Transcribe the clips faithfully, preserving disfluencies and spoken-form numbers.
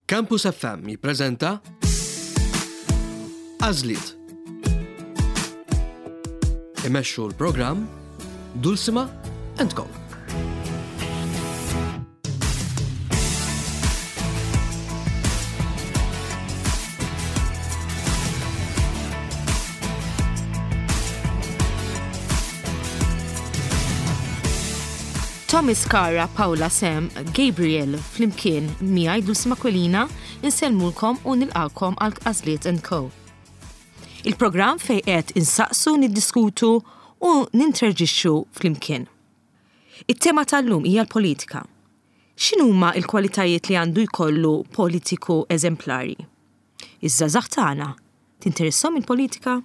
Campus F M jippreżenta Għażliet. Imexxu l-programm Dulsima and Co. Thomas, Kara, Paula, Sam, Gabriel, flimkien miegħi Dulsima Aquilina, insellmulkom u nilqakom għal Għażliet and Co. Il-programm fej qed insaqsu, niddiskutu u ninteraġixxu flimkien. It-tema tal-lum hija l-politika. X'inhuma l-kwalitajiet li għandu jkollu politiku eżemplari? Iż-żgħażagħ tagħna tinteressahom il-politika?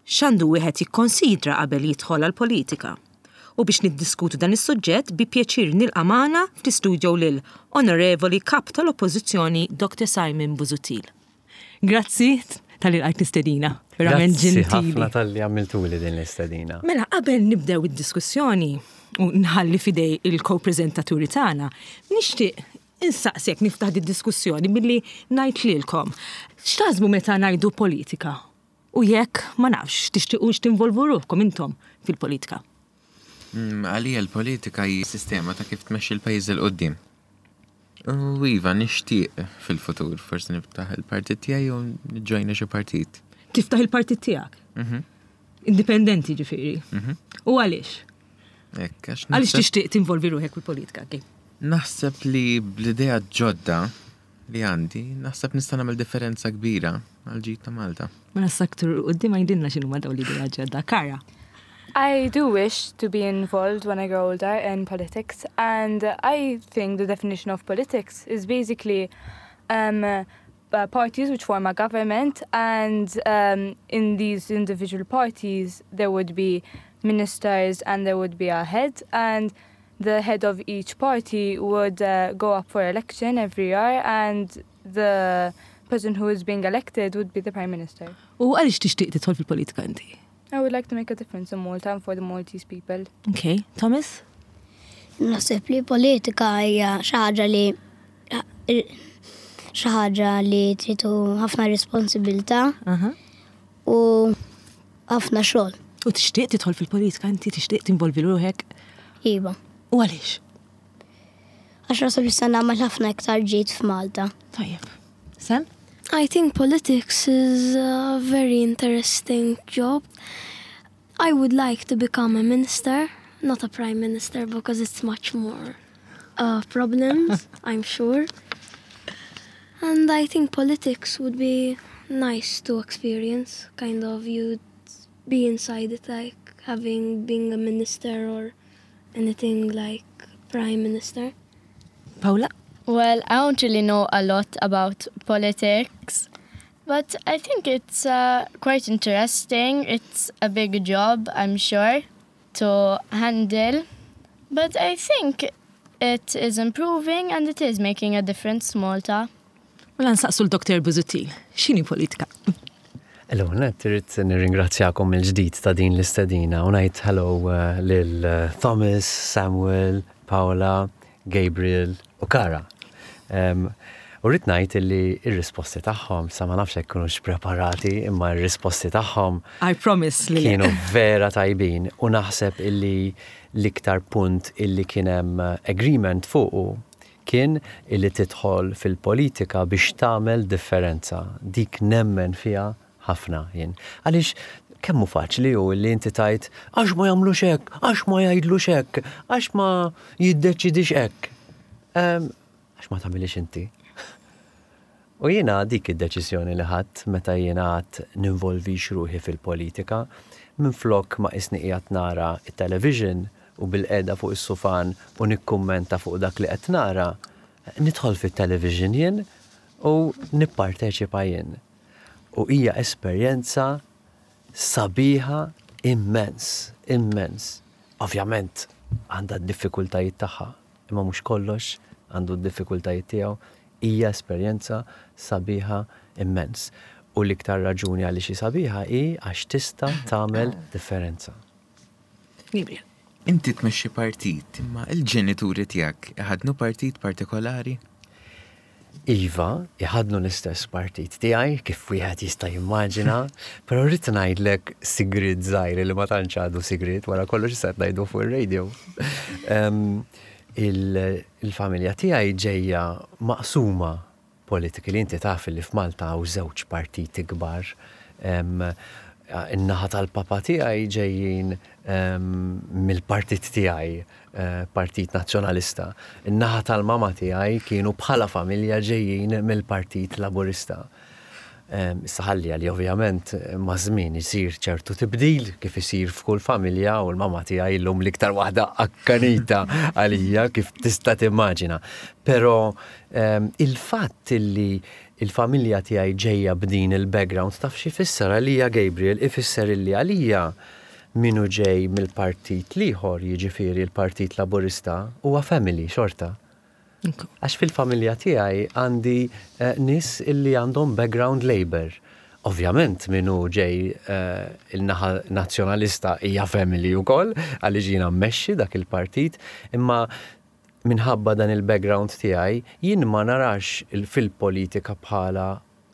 X'għandu wieħed jikkonsidra qabel jidħol għall-politika? U biex niddiskutu dan is-suġġett, bi pjaċir nilqa' magħna fl-istudio lil Onorevoli Kap tal-Oppożizzjoni Doctor Simon Busuttil. Grazzi talli lqajt l-istedina. Verament Grazzi ġentili. Ħafna talli għamiltuli din l-istedina. Mela, qabel nibdew id-diskussjoni u nħalli f'idejn il-ko-prezentaturi tagħna, nixtieq insaqsek niftaħ di diskussjoni billi ngħid lilkom. X'taħsbu meta ngħidu politika? U jekk ma nafx, tixtiequx tinvolvu ruħkom intom fil-politika? Mm, Għalija l-politika hi sistema ta' kif tmexxi l-pajjiż 'il quddiem. U iva, nixtieq fil-futur forsi niftaħ il-partit tiegħi u niġġojna xi partit. Tiftaħ il-partit tiegħek? Mhm. Indipendenti ġifieri. U għaliex? Hekk, għax Għaliex naħseb- tixtieq tinvolvi ruħek fil-politika? Kif? Naħseb li bl-idea ġodda li għandi, naħseb nista' nagħmel differenza kbira għal ġid ta' Malta. Ma nasaktur quddiem għidilna x'inhu ma dawn l-idea ġodda. Kara. I do wish to be involved when I grow older in politics, and I think the definition of politics is basically um, uh, parties which form a government, and um, in these individual parties there would be ministers and there would be a head, and the head of each party would uh, go up for election every year, and the person who is being elected would be the prime minister. U għaliex tixtieq tidħol fil-politika inti? I would like to make a difference in Malta and for the Maltese people. Okay, Thomas? Naħseb li politika hija xi ħaġa li xi ħaġa li tridu ħafna responsabilità Aha. u ħafna xogħol. U tixtieq tidħol fil-politika inti, tixtieq tinvolvi ruħek? Iva. U għaliex? Għax naħseb li se nagħmel ħafna iktar ġid f'Malta. Tajjeb. Sam? I think politics is a very interesting job. I would like to become a minister, not a prime minister, because it's much more uh, problems, I'm sure. And I think politics would be nice to experience. Kind of, you'd be inside it, like having being a minister or anything like prime minister. Paula? Well, I don't really know a lot about politics, but I think it's uh, quite interesting. It's a big job, I'm sure, to handle, but I think it is improving and it is making a difference to Malta. Mela nsaqsu l-Doctor Busuttil. X'inhi politika? Hello, net irrid nirringrazzjakom mill-ġdid ta' din l-istedina u ngħid hello uh, lil uh, Thomas, Samuel, Paola, Gabriel u Kara. Um, u rrid ngħid illi ir-risposti tagħhom, sa ma nafx jekk kinux preparati, imma r-risposti tagħhom I promise li le. kienu vera tajbin u naħseb illi l-iktar punt illi kien hemm agreement fuqu kien illi tidħol fil-politika biex tagħmel differenza. Dik nemmen fiha ħafna jien. Għaliex kemm hu faċli hu li inti tgħid għax ma jagħmlux hekk, għax ma jgħidlux hekk, għax ma jiddeċidix hekk. Em, Għax ma tagħmilix inti. U jiena dik id-deċiżjoni li ħadt meta jiena għad ninvolvix ruħi fil-politika, minflok ma isni qiegħed nara it-television u bilqiegħda fuq is-sufan u nikkummenta fuq dak li qed nara, nidħol fit-television jien u nipparteċipa jien. U hija esperjenza sabiħa immens, immens. Ovvjament għandha d-diffikultajiet tagħha, imma mhux kollox għandu d-diffikultajiet tiegħu, hija esperjenza sabiħa immens. U l-iktar raġuni għaliex hi sabiħa hi għax tista' tagħmel differenza. Gabriel. Inti tmexxi partit, imma il-ġenituri tiegħek iħadnu partit partikolari? Iva, iħaddnu l-istess partit tiegħi kif wieħed jista' jimmaġina, però rrid ngħidlek sigriet żgħir li ma tantx għadu sigriet wara kollox issa qed ngħidu fuq ir-radio. Il-familja tiegħi ġejja maqsuma politically. Inti taf li f'Malta hawn żewġ partiti kbar. In-naħa tal-papa tiegħi ġejjin mill-partit tiegħi, eh, Partit Nazzjonalista. In-naħa tal-mama tiegħi kienu bħala familja ġejjin mill-Partit Laburista. Issa ħalli li ovvjament ma' żmien isir ċertu tibdil kif isir f'kull familja u l-mama tiegħi illum l-iktar waħda akkanita għalija, kif tista' timmaġina. Però il-fatt li il-familja tiegħi ġejja b'din il-background, taf xi jfisser għalija, Gabriel? Ifisser illi għalija min hu ġej mill-partit l-ieħor, jiġifieri l-Partit Laburista, huwa family xorta. Għax fil-familja tiegħi għandi eh, nies illi għandhom background Labour. Ovvjament min hu ġej eh, il-naħa nazzjonalista hija family wkoll, għaliex jiena mmexxi dak il-partit, imma minħabba dan il-background tiegħi jien ma narax fil-politika bħala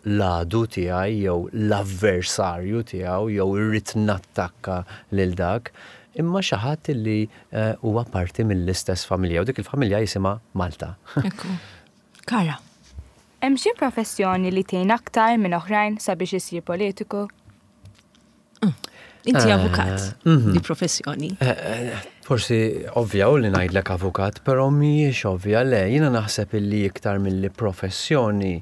l-għadu tiegħi jew l-avversarju tiegħu jew irrid nattakka lil dak, imma xi ħadd illi eh, huwa parti mill-istess familja u dik il-familja jisimha Malta. Kara. Hemm xi professjoni li tgħin aktar minn oħrajn sabiex isir politiku? Inti Eh, avukat mhm. di professjoni. Eh, Forsi ovvja u li ngħidlek avukat, però mhijiex ovvja, le, jiena naħseb illi iktar milli professjoni,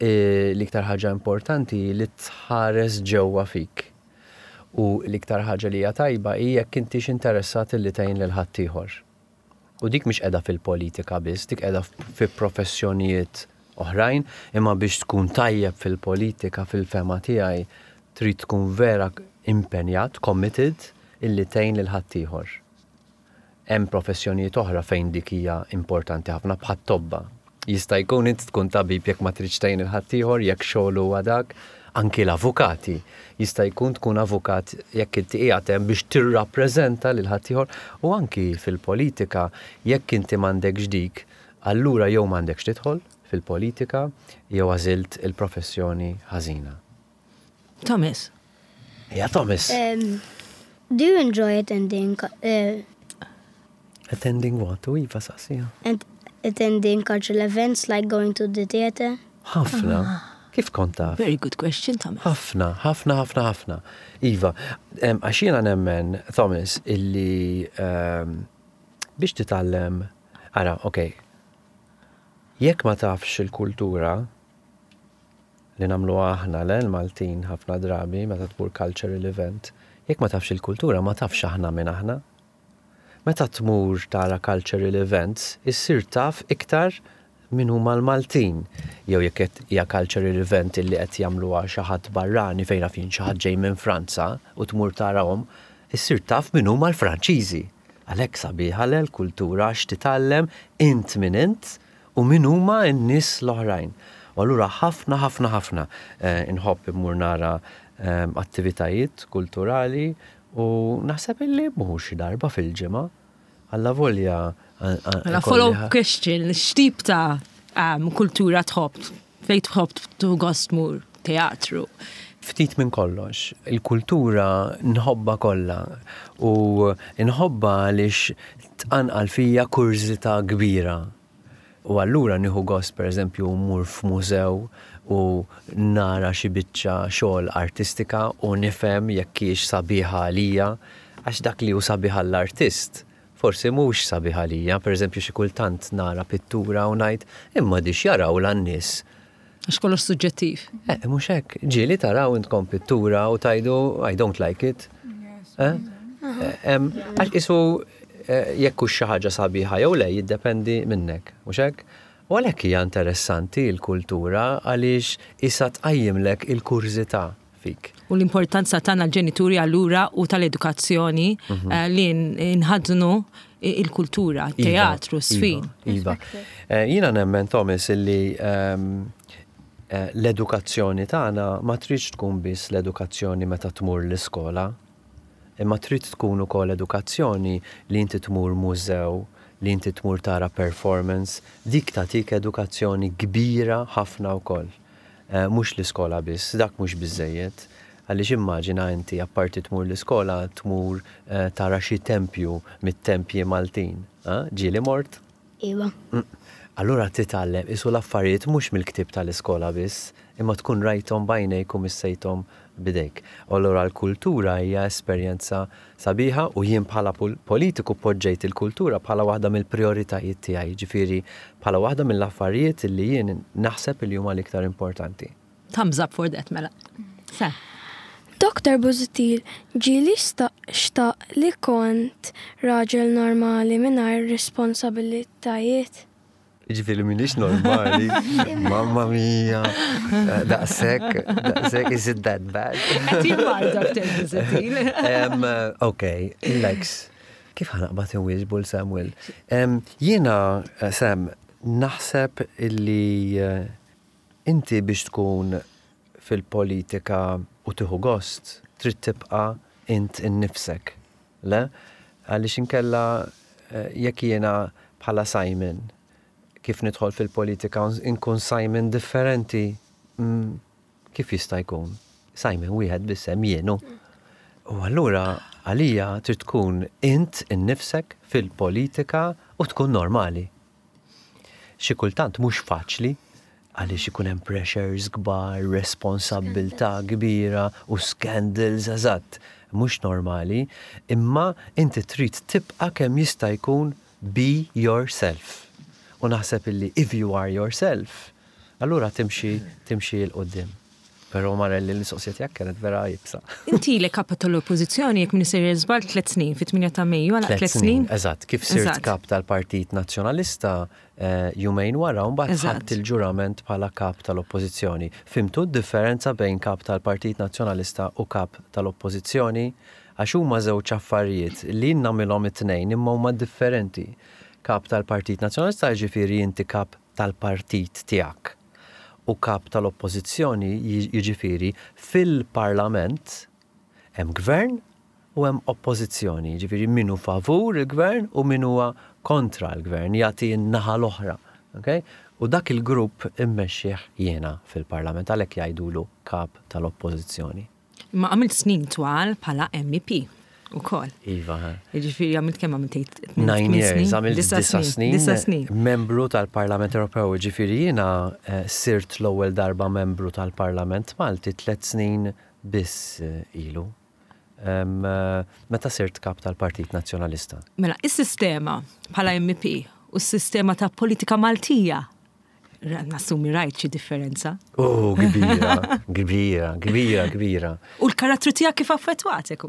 l-iktar ħaġa importanti li tħares ġewwa fik. U l-iktar ħaġa li hija tajba hi jekk intix interessat li tgħin lil ħaddieħor. U dik mhix qiegħda fil-politika biss, dik qiegħda fi professjonijiet oħrajn, imma biex tkun tajjeb fil-politika, fil-fehma tiegħi, trid tkun vera impenjat, committed, illi tgħin lil ħaddieħor. Hemm professjonijiet oħra fejn dik hija importanti ħafna, bħat-tobba. Jista' jkun int tkun tabib jekk ma tridx tgħin lil ħaddieħor, jekk xogħol huwa dak, anki l-avukati. Jista' jkun tkun avukat jekk inti qiegħed hemm biex tirrappreżenta lil ħaddieħor, u anki fil-politika, jekk inti m'għandekx dik, allura jew m'għandekx tidħol fil-politika jew għażilt il-professjoni ħażina. Thomas. Ja, Thomas. Um, do you enjoy attending uh, Attending what? U iva, saqsija. and attending cultural events like going to the theater? Ħafna. Kif kont taf? Very good question, Thomas. Ħafna, ħafna, ħafna, ħafna. Iva, em, għax jiena nemmen, Thomas, illi em, biex titgħallem, ara, ok, jekk ma tafx il-kultura li nagħmlu aħna le l-Maltin ħafna drabi meta tmur cultural event, jekk ma tafx il-kultura ma tafx aħna minn aħna. Meta tmur tara cultural events, issir taf iktar min huma l-Maltin. Jew jekk qed hija cultural event illi qed jagħmluha xi ħadd barrani, fejn fin xi ħadd ġej minn Franza u tmur tarahom, issir taf min huma l-Franċiżi. Għalhekk sabiħa le l-kultura, għax titgħallem int min int u min huma n-nies l-oħrajn. U allura ħafna, ħafna, ħafna eh, inħobb immur nara eh, attivitajiet kulturali u naħseb illi mhux xi darba fil-ġimgħa. Alla volja. Mela, follow question, x'tip ta' um, kultura tħobb? Fejn tħobb tieħu gost tmur, teatru? Ftit minn kollox. Il-kultura nħobba kollha u nħobba għaliex tqanqal fija kurżità kbira. U allura nieħu gost, per eżempju, mmur f'mużew u nara xi biċċa xogħol artistika u nifhem jekk hiex sabiħa għalija, għax dak li hu sabiħ għall-artist forsi mhux sabiħ għalija. Per eżempju, xi kultant nara pittura u ngħid, "Imma di x'jaraw in-nies?" Għax kollox suġġettiv. Eh, mhux hekk, ġieli taraw intkom pittura u tgħidu, "I don't like it"? Eh? Eh, em, Għax isu eh, jekk hux xi ħaġa sabiħa jew le jiddependi minnek, mhux hekk? U għalhekk hija interessanti l-kultura, għaliex issa tqajjimlek il-kurżità fik. U l-importanza tagħna l-ġenituri allura u tal-edukazzjoni Mhm. eh, li nħadnu il-kultura, Iva, teatru, żfin. Iva. Eh, Jiena nemmen, Thomas, illi ehm, eh, l-edukazzjoni tagħna ma tridx tkun biss l-edukazzjoni meta tmur l-iskola, imma trid tkun ukoll edukazzjoni li inti tmur mużew li inti tmur tara performance, dik tagħtik edukazzjoni kbira ħafna wkoll. Eh, mhux l-iskola biss, dak mhux biżejjed. Għaliex immaġina inti apparti tmur l-iskola, tmur eh, tara xi tempju mit-tempji Maltin. Eh? Ġieli mort? Iva. Mm. Allura titgħallem isu l-affarijiet mhux mill-ktieb tal-iskola biss, imma tkun rajthom b'għajnejk u missejthom b'idejk. Allura l-kultura hija esperjenza sabiħa u jien bħala pol- politiku poġġejt il-kultura bħala waħda mill-prioritajiet tiegħi, ġifieri bħala waħda mill-affarijiet li jien naħseb li huma l-iktar importanti. Thumbs up for that, mela. Sa. Dr. Busuttil, ġieli xtaqt li kont raġel normali mingħajr responsabilitajiet. Ġifieri m'iniex normali. Mamma mia. Daqshekk, daqshekk, is it that bad? Qed jimar Dr. Busuttil. Um, ok, Lex, kif ħa naqbad inwieġbu Samuel? Um, jiena, eh, Sam, naħseb illi eh, inti biex tkun fil-politika u tieħu gost, trid tibqa' int innifsek. Le? Għaliex inkella eh, jekk jiena bħala Simon, kif nidħol fil-politika inkun Simon differenti, mm, kif jista' jkun? Simon wieħed biss hemm jienu. U allura għalija trid tkun int innifsek fil-politika u tkun normali. Xi kultant mhux faċli għaliex ikun hemm pressures kbar, responsabbiltà kbira u scandals eżatt. Mhux normali, imma inti trid tibqa' kemm jista' jkun be yourself. U naħseb illi if you are yourself, allura timxi timxi 'l quddiem. Però Marelli l-mistoqsija tiegħek kienet vera iebsa. Inti li kap tal-oppożizzjoni jekk m'iniex sejjer żball tliet snin, fit-tmienja ta' Mejju, għal tliet snin. Eżatt, kif sirt Eżatt. kap tal-Partit Nazzjonalista eh, jumejn wara, u mbagħad Eżatt. ħadt il-ġurament bħala kap tal-Oppożizzjoni. Fhimtu d-differenza bejn kap tal-Partit Nazzjonalista u kap tal-Oppożizzjoni? Għax huma żewġ affarijiet li nagħmilhom it-tnejn imma huma differenti. Kap tal-Partit Nazzjonalista jiġifieri inti kap tal-partit tiegħek. U kap tal-Oppożizzjoni jiġifieri fil-Parlament hemm gvern u hemm oppożizzjoni, ġifieri min hu favur il-gvern u min huwa kontra l-gvern, jagħti n-naħa l-oħra. Okay? U dak il-grupp immexxih jiena fil-Parlament għalhekk jgħidulu kap tal-oppożizzjoni. Ma għamilt snin twal bħala MEP ukoll. Iva. Jiġifieri għamilt kemm għamilt tgħid? Nine years, għamilt Disa' disa snin, Disa' snin. membru tal-Parlament Ewropew, ġifieri jiena eh, sirt l-ewwel darba membru tal-Parlament Malti tliet snin biss eh, ilu. Em, eh, Meta sirt kap tal-Partit Nazzjonalista. Mela, is-sistema bħala MEP u s-sistema ta' politika Maltija, ra- nassumi rajt xi differenza. Oh, kbira, kbira, kbira, kbira. U l-karattru tiegħek kif affettwatek?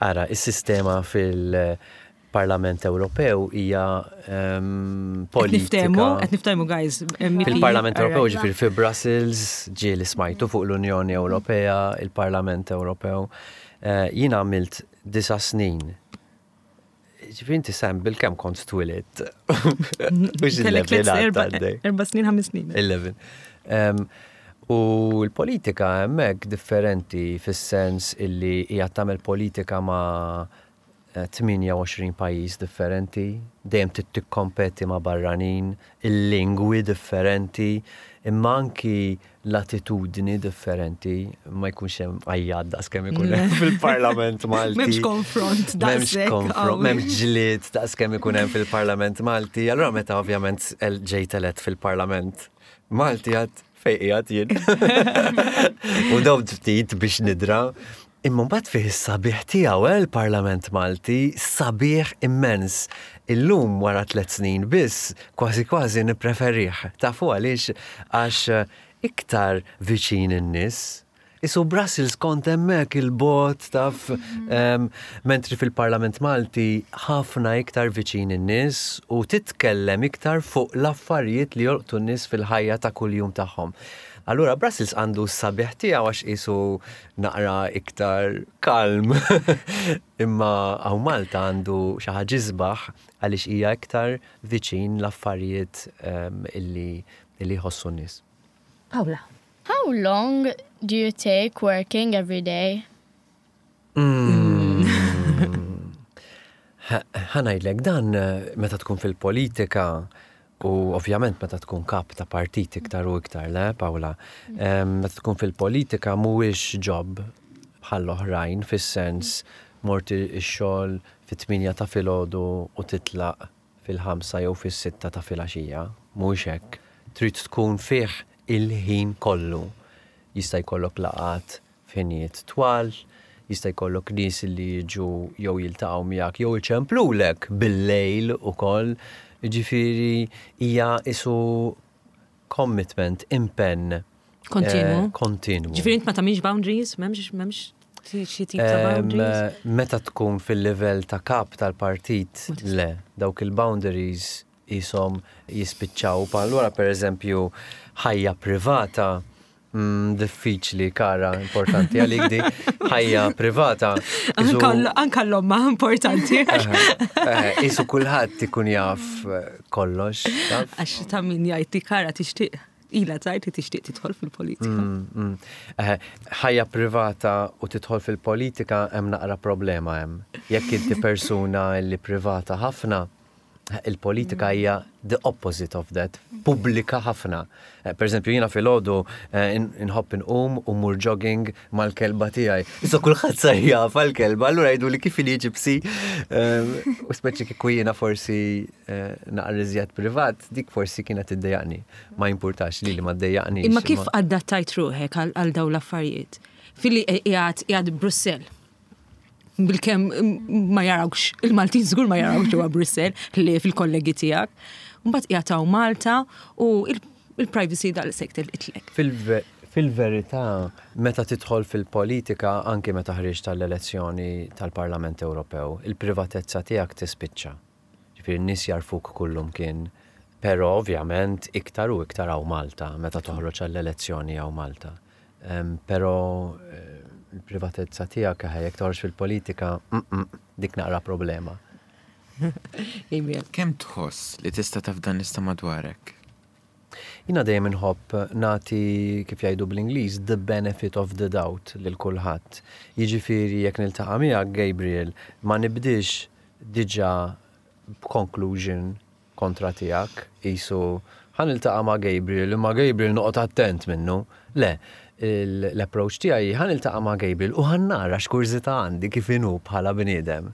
Ara, is-sistema fil-Parlament Ewropew hija um, Qed niftehmu, politika. qed niftehmu guys. MEP. Fil-Parlament Ewropew, Alright. ġifieri fi Brussels, ġieli smajtu fuq l-Unjoni Ewropea, il-Parlament Ewropew. Eh, Jiena għamilt disa snin. Ġifieri inti sem bil-kemm kont twilidt. Mhux Kellek tliet eleven erba' għaddej. erba' snin, ħames snin. Eleven. Um, u l-politika hemmhekk differenti fis-sens illi hija tagħmel politika ma' eh, tmienja u għoxrin pajjiż differenti, dejjem trid tikkompeti ma' barranin, il-lingwi differenti, imma anki l-attitudni differenti, ma jkunx hemm għajjat daqs kemm ikun hemm fil-Parlament Malti. M'hemmx konfront M'hemmx daqshekk konfront, qawwi. m'hemmx ġlied daqs kemm ikun hemm fil-Parlament Malti. Allura meta ovvjament el- ġejt elett fil-Parlament Malti għedt fejn qiegħed jien. U domt ftit biex nidra. Imma mbagħad fih is-sabiħ tiegħu eh, il-Parlament Malti sabiħ immens. Illum wara tliet snin biss kważi kważi nippreferih. Tafu għaliex għax eh, iktar viċin in-nies. Isu Brussels kont hemmhekk il-bogħod taf, em, mentri fil-Parlament Malti ħafna iktar viċin in-nies u titkellem iktar fuq l-affarijiet li jolqtu n-nies fil-ħajja ta' kuljum tagħhom. Allura Brussels għandu s-sabiħ tiegħu għax qisu naqra iktar kalm. Imma hawn Malta għandu xi ħaġa isbaħ għaliex hija iktar viċin l-affarijiet em, illi illi jħossu n-nies. Paula. How long do you take working every day? Mm. Ħa ngħidlek dan eh, meta tkun fil-politika u ovvjament meta tkun kap ta' partit iktar u iktar, le, Paula, em, meta tkun fil-politika mhuwiex job bħall-oħrajn fis-sens mort ix-xogħol fit-tmienja ta' filgħodu u titlaq fil-ħamsa jew fis-sitta ta' filgħaxija, mhuwiex hekk. Trid tkun fih il-ħin kollu. Jista' jkollok laqgħat f'ħinijiet twal, jista' jkollok nies li jiġu jew jiltaqgħu miegħek jew iċemplulek bil-lejl ukoll. Ġifieri hija isu commitment, impenn. Kontinwu. eh, Kontinwu. Ġifieri int ma tagħmilx boundaries, m'hemmx m'hemmx xi tip ta' Em, boundaries? Meta tkun fil-livell ta' kap tal-partit, le, dawk il-boundaries jisom jispiċċaw. Allura, per eżempju, ħajja privata, mm, diffiċli, kara, importanti għalik di, ħajja privata. isu- Anka l- Anka l-omma importanti. Eh, Isu kulħadd ikun jaf eh, kollox. taf? Għax ta' min jgħid li kara tixtieq ila tgħid li tixtieq tidħol fil-politika. Mm, mm. Eh, ħajja privata u tidħol fil-politika hemm naqra problema hemm. Jekk inti persuna li privata ħafna, il-politika hija the opposite of that, pubblika ħafna. Eh, Per eżempju, jiena filgħodu eh, in- inħobb inqum u mur jogging mal-kelba tiegħi. Issa kulħadd sar jaf għall-kelba, allura jgħidu li kif li ġipsi. U speċi kieku jiena forsi eh, naqra iżjed privat, dik forsi kienet iddejjaqni. Ma jimpurtax li li ma ddejjaqnix. Imma kif adattajt ruħek għal għal dawn l-affarijiet? Filli qiegħed qiegħed Brussell. Bilkemm mm, ma jarawx, il-Maltin żgur ma jarawx ġewwa Brussell li fil-kollegi tiegħek. Mbagħad qiegħed hawn Malta u il- il-privacy dal-sektor itlek. Fil-ve- Fil-verità, meta tidħol fil-politika, anki meta ħriġt tal-elezzjoni tal-Parlament Ewropew, il-privatezza tiegħek tispiċċa. Ġifieri n-nies jarfuk kullum kien, però ovvjament iktar u iktar hawn Malta, meta toħroġ għall-elezzjoni hawn Malta. Em, Però eh, il-privatezza tiegħek eh, jekk toħroġ fil-politika, mm, mm, dik naqra problema. Gabriel. Kemm tħoss li tista' taf dan nista' madwarek? Jiena dejjem inħobb nagħti kif jgħidu bl-Ingliż the benefit of the doubt lil kulħadd. Jiġifieri jekk niltaqa' miegħek Gabriel, ma nibdix diġà b'conclusion kontra tiegħek, isu ħa niltaqa' ma' Gabriel, imma Gabriel noqgħod attent minnu. Le, il- l-approach tiegħi ħa niltaqa' ma' Gabriel u ħa nara x'kurżità għandi kif inhu bħala bniedem.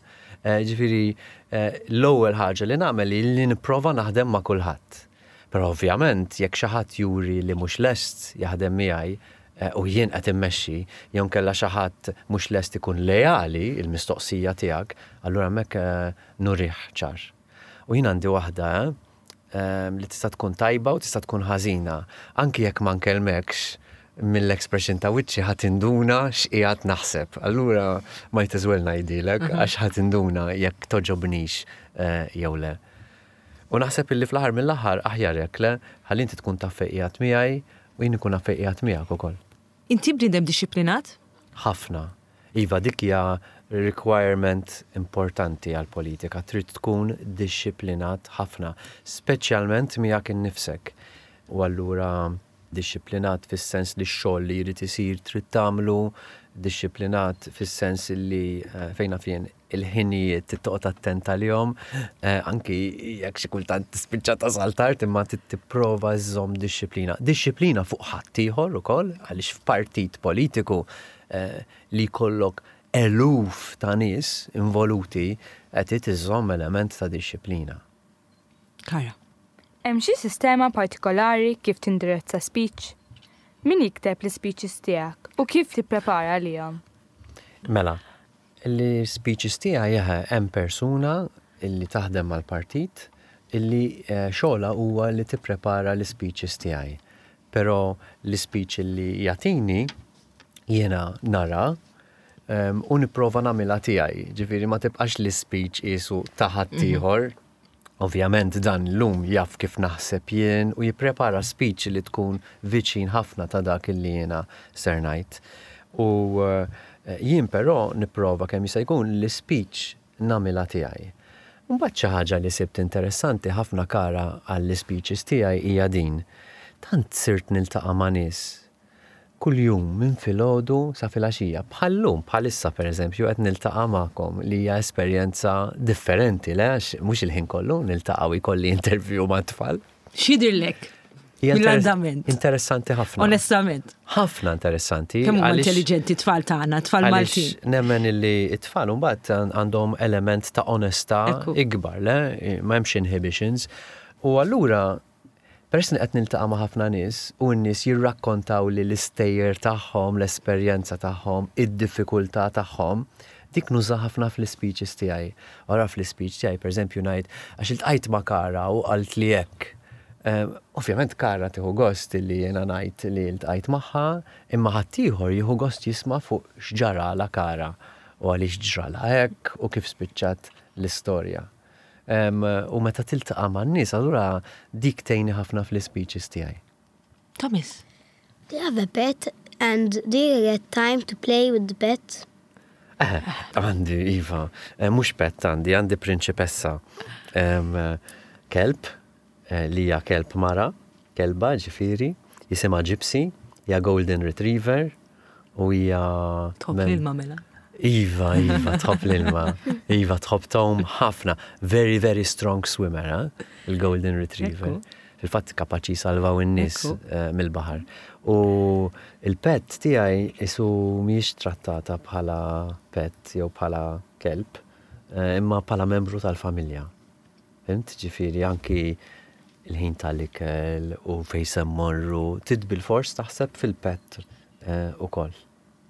Eh, Ġifieri eh, l-ewwel ħaġa li nagħmel hi li nipprova naħdem ma' kulħadd. Però ovvjament jekk xi ħadd juri li mhux lest jaħdem miegħi eh, u jien qed immexxi jew kella xi ħadd mhux lest ikun leali il-mistoqsija tiegħek, allura hemmhekk eh, nurih ċar. U jien għandi waħda eh, em, li tista' tkun tajba u tista' tkun ħażina. Anki jekk ma nkellmekx mill-expression ta' wiċċi ħa tinduna x'qiegħed naħseb. Allura might as well ngħidilek għax ħa tinduna jekk toġobnix eh, jew le. U naħseb illi fl-aħħar mill-aħħar aħjar jekk le, ħalli inti tkun taf fejn qiegħed miegħi u jien ikun naf fejn qiegħed miegħek ukoll. Inti bniedem dixxiplinat? Ħafna. Iva, dik hija requirement importanti għal-politika. Trid tkun dixxiplinat ħafna, speċjalment miegħek innifsek. U allura dixxiplinat fis-sens li x-xogħol li jrid isir trid tagħmlu, dixxiplinat fis-sens li eh, fejna fien il-ħinijiet trid toqgħod attent għalihom, eh, anki jekk xi kultant tispiċċa tasal tard imma trid tipprova żżomm dixxiplina. Dixxiplina fuq ħaddieħor ukoll għaliex f'partit politiku eh, li jkollok eluf ta' nies involuti qed trid iżżomm element ta' dixxiplina. Kara. Hemm xi sistema partikolari kif tindirizza speech? Min jikteb l-speeches tiegħek u kif tipprepara għalihom? Mela, l-speeches tiegħi jeħe hemm persuna illi taħdem mal-partit illi eh, xogħla huwa li tipprepara l-speeches tiegħi. Però l-speech illi jagħtini jiena nara um, u nipprova nagħmilha tiegħi. Ġifieri ma tibqax l-speech qisu ta' ħaddieħor. Ovvjament dan l-lum jaf kif naħseb jien u jipprepara speech li tkun viċin ħafna ta' dak illi jiena ser ngħid. U eh, jien però nipprova kemm jista' jkun l-speech nagħmilha tiegħi. Mbagħad xi ħaġa li sibt interessanti ħafna kara għall-speeches tiegħi hija din. Tant sirt niltaqa' ma' nies Kuljum minn filgħodu sa filgħaxija. Bħallum, bħalissa per eżempju, qed niltaqa' magħkom li hija esperjenza differenti, le għax mhux il-ħin kollu niltaqa' u jkolli interview ma' tfal. X'jidhirlek? Hija inter- Mill-andament. Interessanti ħafna. Onestament. Ħafna interessanti. Kemm huma għaliex- intelligenti tfal tagħna, tfal Għaliex Maltin. nemmen illi it-tfal mbagħad għandhom element ta' onestà Ekku. ikbar, le? Ma hemmx inhibitions. U allura peress li qed niltaqa' ma' ħafna nies u n-nies jirrakkontaw li l-istejjer tagħhom, l-esperjenza tagħhom, id-diffikultà tagħhom, dik nuża ħafna fl-speeches tiegħi. Ora fl-speech tiegħi, pereżempju ngħid għax iltqajt ma' Kara u qalt li hekk. Eh, Ovvjament Kara tieħu gost li jiena ngħid li ltqajt magħha, imma ħaddieħor jieħu gost jisma' fuq x'ġarala Kara u għaliex ġrala hekk u kif spiċċat l-istorja. Em, U meta tiltaqa' man-nies, allura dik tgħinni ħafna fl-speeches tiegħi. Thomas. Do you have a pet and do you get time to play with the pet? Eh, għandi, Iva, eh, mhux pet għandi, għandi prinċipessa. Em, eh, Kelb, eh, li hija kelb mara, kelba ġifieri, jisimha Gypsy, hija Golden Retriever u hija. Tħobb mem- l-ilma mela. Iva, Iva, tħobb l-ilma. Iva, tħobb tgħum ħafna. Very, very strong swimmer, eh? il-Golden Retriever. Ekku. Fil-fatt kapaċi salvaw in-nies Ekku. eh, mill-baħar. U il-pet tiegħi isu mhijiex trattata bħala pet jew bħala kelb, eh, imma bħala membru tal-familja. Fhimt? Ġifieri anki il-ħin tal-ikel u fejn se mmorru, trid bilfors taħseb fil-pet eh, ukoll.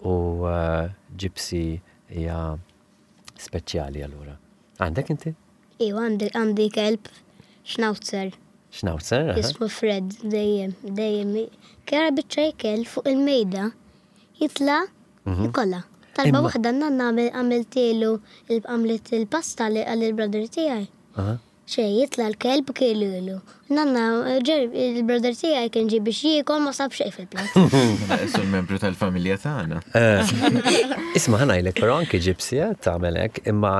U eh, Gypsy hija speċjali allura. Għandek inti? Iwa, għandi għandi kelb schnauzer. Schnauzer? aha. Jismu Fred, dejjem, dejjem. Kera biċċa ikel fuq il-mejda, jitla, jikolla. Talba Imma- waħda nanna għamiltilu, għamlet il-pasta li għal il-brother tiegħi. Aha. Xej, jitla l-kelb kielu. Nanna, ġer, il-brother tiegħi kien ġie biex jiekol ma sab xejn fil-plat. Mela, Issu l-membru tal-familja tagħna. Isma' ħa ngħidlek, però anki Gypsy eh, tagħmel hekk, imma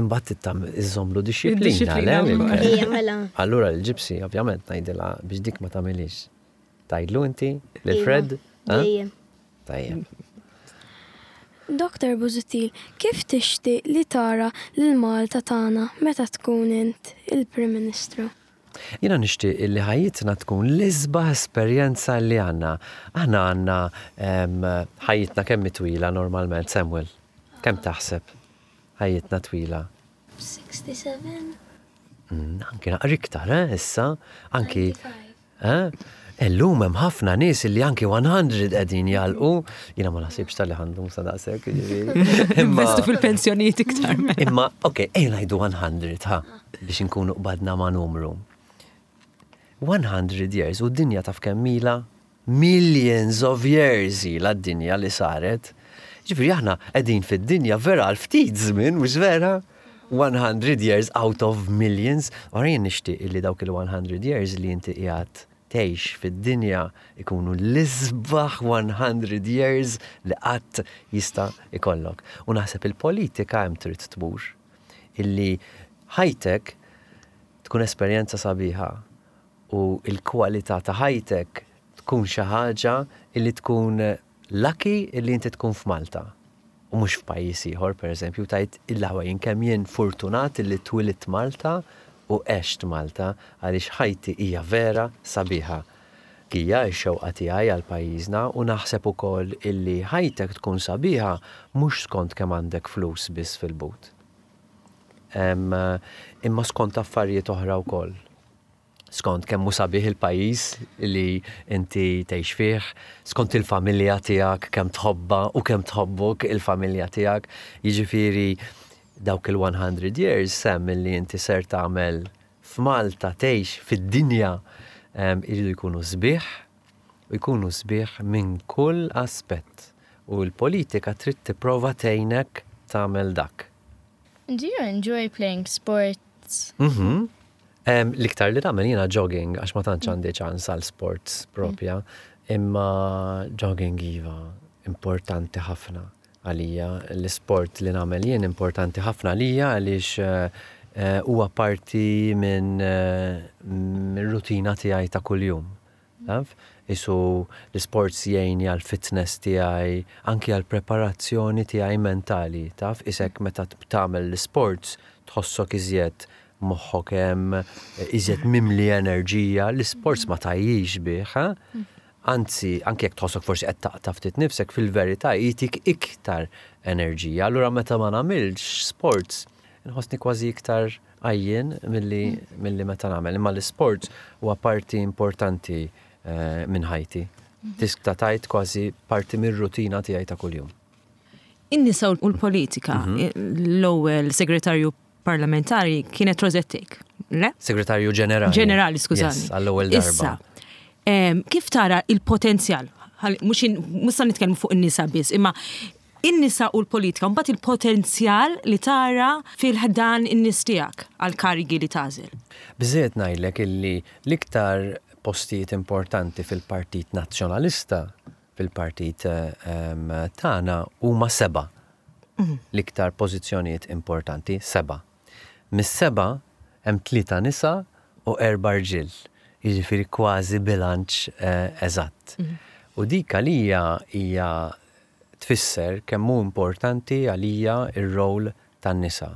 imbagħad tam iżommlu dixxiplina, Id-dixxiplina le, wkoll. lil-kelb. Ija, mela. Allura l-Gypsy ovvjament ngħidilha biex dik ma tagħmilix. Tgħidlu inti lil Fred? Eh? Dejjem. Tajjeb. Dr. Busuttil, kif tixtieq li tara lil Malta tagħna meta tkun int il-Prim Ministru? Jiena nixtieq li ħajjitna tkun l-isbaħ esperjenza li għandna. Aħna għandna em, ħajjitna kemm twila normalment, Samuel? Kemm taħseb? Ħajjitna twila. Sixty-seven. Mm, Anki naqra iktar, eh, issa. Anki. Eh? Illum hemm ħafna nies li anki mija qegħdin jalqu, jiena ma naħsibx tal-li għandhom sa daqshekk, ġifieri. Imma- Investu fil-pensjonijiet iktar. mela. Imma, ok, ejja ngħidu mija, ha, biex nkunu qbadna ma' numru. one hundred years, u d-dinja taf kemm ilha? Millions of years ilha d-dinja li saret. Ġifieri aħna qegħdin fid-dinja vera għal ftit żmien, mhux vera? one hundred years out of millions. Ora jien nixtieq li dawk il-one hundred years li inti qiegħed tgħix fid-dinja ikunu l-isbaħ one hundred years li qatt jista' ikollok. U naħseb il-politika hemm trid tmur illi ħajtek tkun esperjenza sabiħa u il-kwalità ta' ħajtek tkun xi ħaġa illi tkun lucky illi inti tkun f'Malta. U mhux f'pajjiż ieħor, pereżempju, tgħid il-aħwa jien kemm jien fortunat illi twilidt Malta u għext Malta għaliex ħajti hija vera sabiħa. Hija x-xewqa tiegħi għal pajjiżna u naħseb ukoll illi ħajtek tkun sabiħa mhux skont kemm għandek flus biss fil-but. Em, Imma skont affarijiet oħra wkoll. Skont kemm hu sabiħ il-pajjiż li inti tgħix fih, skont il-familja tiegħek kemm tħobbha u kemm tħobbok il-familja tiegħek. Jiġifieri dawk il-one hundred years sem li inti ser tagħmel f'Malta tgħix fid-dinja em, iridu jkunu sbieħ u jkunu sbieħ minn kull aspett. U l-politika trid tipprova tgħinek tagħmel dak. Do you enjoy playing sports? Mhm. Em, L-iktar li nagħmel jiena jogging, għax ma tantx għandi ċans għal sports propja, imma jogging iva importanti ħafna għalija. L-sport li nagħmel jien importanti ħafna għalija għaliex eh, eh, huwa parti minn eh, minn rutina tiegħi ta' kuljum. Taf? Isu l-sports jgħinni għal-fitness tiegħi, anki għal-preparazzjoni tiegħi mentali, taf? Isek meta tagħmel l-sports tħossok iżjed moħħok hemm, iżjed mimli enerġija, l-sports ma tgħajjix bih, ha? Anzi, anki jekk tħossok forsi qed taqta' ftit nifsek, fil-verità jtik iktar enerġija. Allura meta ma nagħmilx sports, nħossni kważi iktar għajjien milli milli meta nagħmel. Imma l-sports huwa parti importanti eh, minn ħajti. Tista' tgħid kważi parti mir-rutina tiegħi ta' kuljum. In-nisa u l-politika, l-ewwel segretarju parlamentari kienet Rosette Thake, le? Segretarju ġenerali. Ġenerali, skużani. Yes, għall-ewwel darba. Issa, em, kif tara il-potenzjal? Ħalli- Mhux in- mhux sa nitkellmu fuq in-nisa biss, imma in-nisa u l-politika, mbagħad il-potenzjal li tara fil-ħdan in-nies tiegħek għal-karigi li tagħżel. Biżejjed ngħidlek illi l-iktar postijiet importanti fil-Partit Nazzjonalista, fil-partit eh, em, tagħna huma seba'. L-iktar pożizzjonijiet importanti seba'. Mis-seba' hemm tlieta nisa u erba' rġiel. Jiġifieri kważi bilanċ eh, eżatt. U dik għalija hija tfisser kemm hu importanti għalija ir-rol tan-nisa.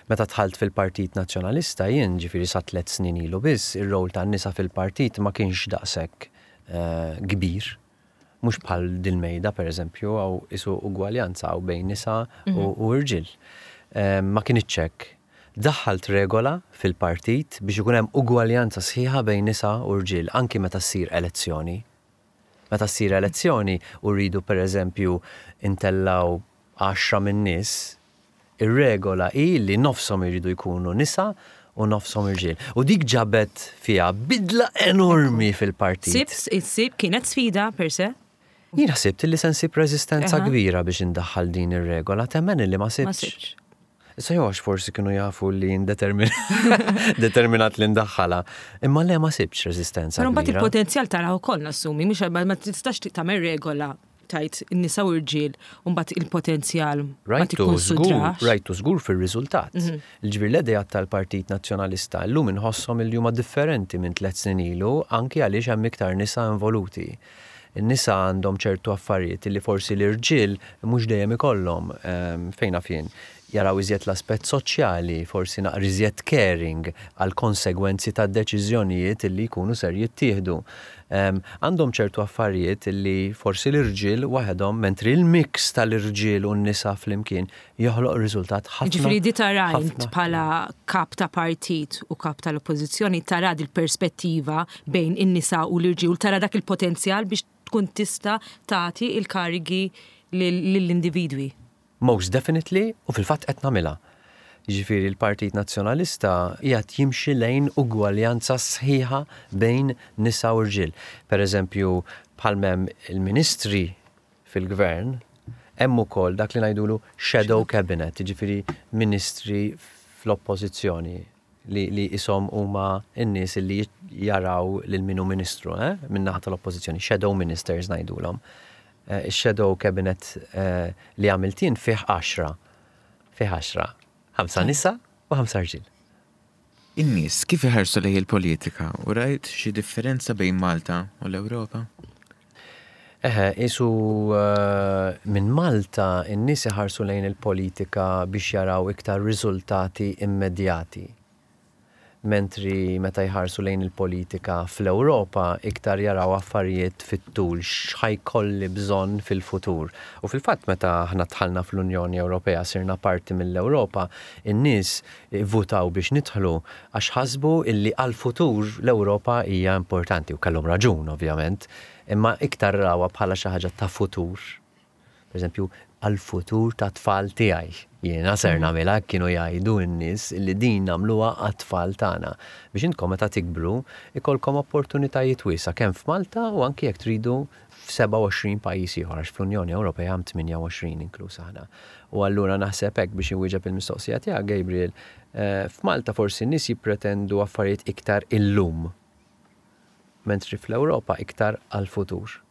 Meta dħalt fil-Partit Nazzjonalista jien, ġifieri sa tliet snin ilu biss, ir-rol tan-nisa fil-partit ma kienx daqshekk eh, kbir. Mhux bħal dil-mejda, per eżempju, għaw isu ugwaljanza għaw bejn nisa u, u rġiel. Eh, ma kienx hekk. Daħħalt regola fil-partit biex ikun hemm ugwaljanza sħiħa bejn nisa u rġiel, anki meta ssir elezzjoni. Meta ssir elezzjoni u rridu per eżempju intellaw għaxra minn nies, ir-regola hi li nofshom iridu jkunu nisa u nofshom irġiel. U dik ġabet fiha bidla enormi fil-partit. Sib, sib kienet sfida per se? Jiena ħsibt li se nsib reżistenza Aha. kbira biex indaħħal din ir-regola, temmen li ma Ma sibx. sibx. Issa jew għax forsi kienu jafu li jien determin- determinat li ndaħħala. Imma le, ma sibx reżistenza Però mbagħad kbira. il-potenzjal tara wkoll nassumi, mhux ma ma tistax tagħmel regola tajt in-nisa u rġiel u mbagħad il-potenzjal ma Rajtu żgur, tikkonsidrax. rajtu żgur fir-riżultat. Il-ġbir l-idea tal-Partit Nazzjonalista llum inħosshom il huma differenti minn tliet snin ilu, anki għaliex hemm iktar nisa involuti. In-nisa għandhom ċertu affarijiet li forsi l-irġiel mhux dejjem ikollhom ehm, fejn naf jien jaraw iżjed l-aspett soċjali, forsi naqra iżjed caring għal konsegwenzi ta' deċiżjonijiet li jkunu ser jittieħdu. Ehm, Għandhom ċertu affarijiet li forsi l-irġiel waħedhom, mentri il-mix tal-irġiel u n-nisa flimkien joħloq riżultat ħafna. Ġifieri di tara int ħafna. bħala kap ta' partit u kap tal-oppożizzjoni, tara dil-perspettiva bejn in-nisa u l-irġiel, tara dak il-potenzjal biex tkun tista' tagħti il-karigi lill-individwi. Most definitely, u fil-fatt qed nagħmilha. Jiġifieri l-Partit Nazzjonalista qiegħed jimxi lejn ugwaljanza sħiħa bejn nisa u rġiel. Per eżempju, bħalma hemm il-ministri fil-gvern, hemm ukoll dak li ngħidulu shadow cabinet, jiġifieri ministri fl-oppożizzjoni li, li isom huma n-nies li jaraw lil minu ministru, eh? Min-naħa tal-oppożizzjoni, shadow ministers ngħidulhom. Eh, Ix-shadow cabinet eh, li għamilt jien fih għaxra. Fih għaxra. Ħamsa nisa u ħamsa rġiel. In-nies kif iħarsu lejn il-politika u rajt xi differenza bejn Malta u l-Ewropa? Eħe, isu eh, minn Malta in-nies iħarsu lejn il-politika biex jaraw iktar riżultati immedjati. Mentri meta jħarsu lejn il-politika fl-Ewropa iktar jaraw affarijiet fit-tul, x'ħa jkolli bżonn fil-futur. U fil-fatt meta aħna dħalna fl-Unjoni Ewropea, sirna parti mill-Ewropa, in-nies votaw biex nidħlu għax ħasbu illi għal-futur l-Ewropa hija importanti, u kellhom raġun ovvjament, imma iktar rawha bħala xi ħaġa ta' futur. Per eżempju, għal-futur ta' tfal tiegħi. Jiena ser nagħmilha, kienu jgħidu n-nies li din nagħmluha għat-tfal tagħna. Biex intkom meta tikbru ikollkom opportunitajiet wiesa' kemm f'Malta u anki jekk tridu f'sebgħa u għoxrin pajjiż ieħor, għax fl-Unjoni Ewropea hemm tmienja u għoxrin inkluż aħna. U allura naħseb hekk biex inwieġeb il-mistoqsija tiegħek, Gabriel, eh, f'Malta forsi n-nies jippretendu affarijiet iktar illum, mentri fl-Ewropa iktar għal-futur.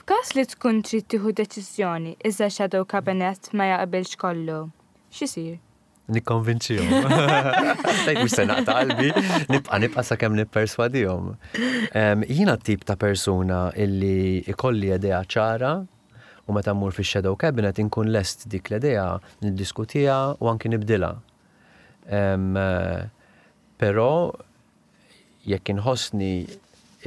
F'każ li tkun trid tieħu deċiżjoni iżda shadow cabinet ma jaqbilx kollu, x'isir? Nikkonvinċihom. Tajt mhux se naqta' qalbi, nibqa' nibqa' sakemm nipperswadihom. Em, Jiena tip ta' persuna illi ikolli idea ċara u meta mmur fix-shadow cabinet inkun lest dik l-idea niddiskutiha u anki nibdilha. Em, eh, Però jekk inħossni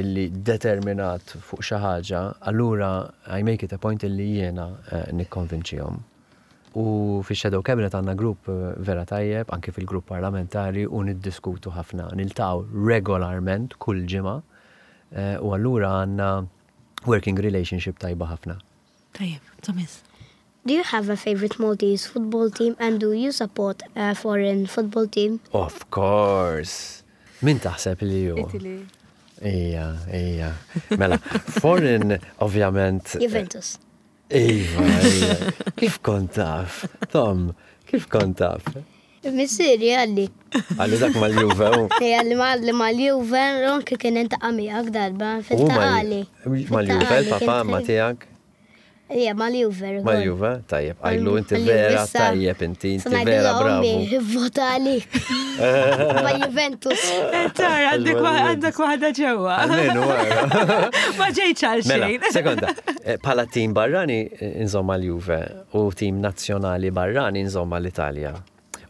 illi determinat fuq xi ħaġa, allura I make it a point illi jiena eh, nikkonvinċihom. U fi Shadow Cabinet għandna grupp eh, vera tajjeb, anke fil-grupp parlamentari, u niddiskutu ħafna, niltaqgħu regolarment kull ġimgħa, eh, u allura għandna working relationship tajba ħafna. Tajjeb, Thomas. Do you have a favorite Maltese football team and do you support a foreign football team? Of course! Min taħseb li ju? Italy. Ija, ija. Mela, foreign, ovvjament. Juventus. Iva, iva. Kif kont taf? Tom, kif kont taf? Missieri qalli. Qalli dak mal-Juve, u. Qalli mal mal-Juve, anke kien iltaqa' miegħek darba U fil-taqali. Mal-Juve, il-papa ma tiegħek? Ija, mal-Juve. Mal-Juve, tajjeb. Għidlu inti vera tajjeb, inti, inti vera bravu. Vota għalik. Ma Juventus. Tara, għandek wa- għandek waħda ġewwa. Almenu, għara. Ma ġejtx għal Mela, xejn. sekonda, eh, bħala tim barrani eh, insomma l-Juve u tim nazzjonali barrani insomma l-Italja.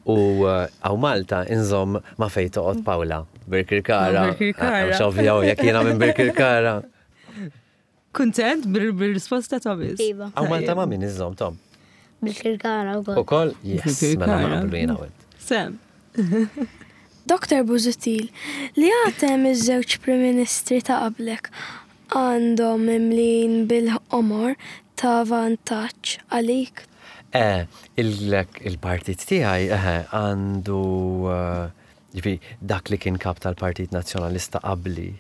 U eh, hawn Malta insomma ma fejn toqgħod Paula, Birkirkara. Ma' Birkirkara. Eh, Xovja u jekk jiena minn Birkirkara. Kuntent bil- bil-risposta Thomas? Iva. Hawn Malta ma' min iżżomm, Tom? Bil-Kirkara u U koll? Yes, mela Birkirkara. naqblu jiena u int. Sam. Dr. Busuttil, li għatem iż-żewġ Prim Ministri ta' qablek għandhom mimlin bil-qomor ta' vantaġġ għalik. Eh, il- il-partit tiegħi eh, għandu eh, ġifieri, dak li kien kap tal-Partit Nazzjonalista qabli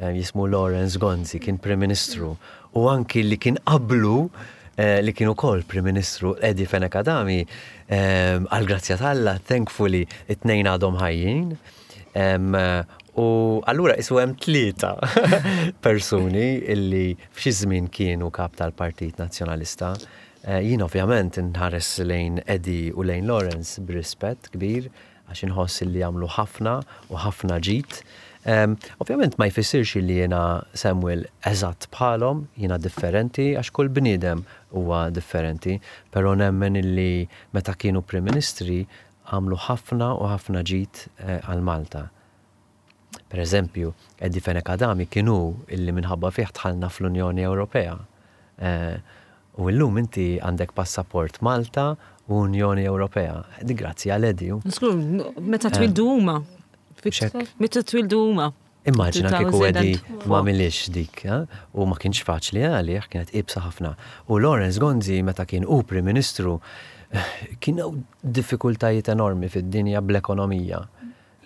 eh, jismu Lawrence Gonzi, kien Prim Ministru u anki li kien qablu eh, li kien ukoll Prim Ministru Eddie Fenech Adami eh, għal grazzja t'Alla, thankfully, it-tnejn għadhom ħajjin. Em, eh, U allura isu hemm tlieta persuni illi f'xi żmien kienu kap tal-Partit Nazzjonalista. Eh, Jien ovvjament nħares lejn Eddie u lejn Lawrence b'rispett kbir għax inħoss li jagħmlu ħafna u ħafna ġid. Um, ovvjament ma jfissirx li jiena Samuel eżatt bħalhom, jiena differenti, għax kull bniedem huwa differenti, però nemmen illi meta kienu Prim Ministri għamlu ħafna u ħafna ġid eh, għal Malta. Per eżempju, Eddie Fenech Adami kien hu illi minħabba fih dħalna fl-Unjoni Ewropea. Eh, u llum inti għandek passaport Malta u Unjoni Ewropea. Di grazzi għal Eddie. hu. Żgur, meta twildu huma. Xek. Meta twildu huma. Immaġina kieku Eddie two thousand four. ma milix dik, eh? U ma kienx faċli għalih, kienet iebsa ħafna. U Lawrence Gonzi meta kien u Prim Ministru, eh, kien hawn diffikultajiet enormi fid-dinja bl-ekonomija.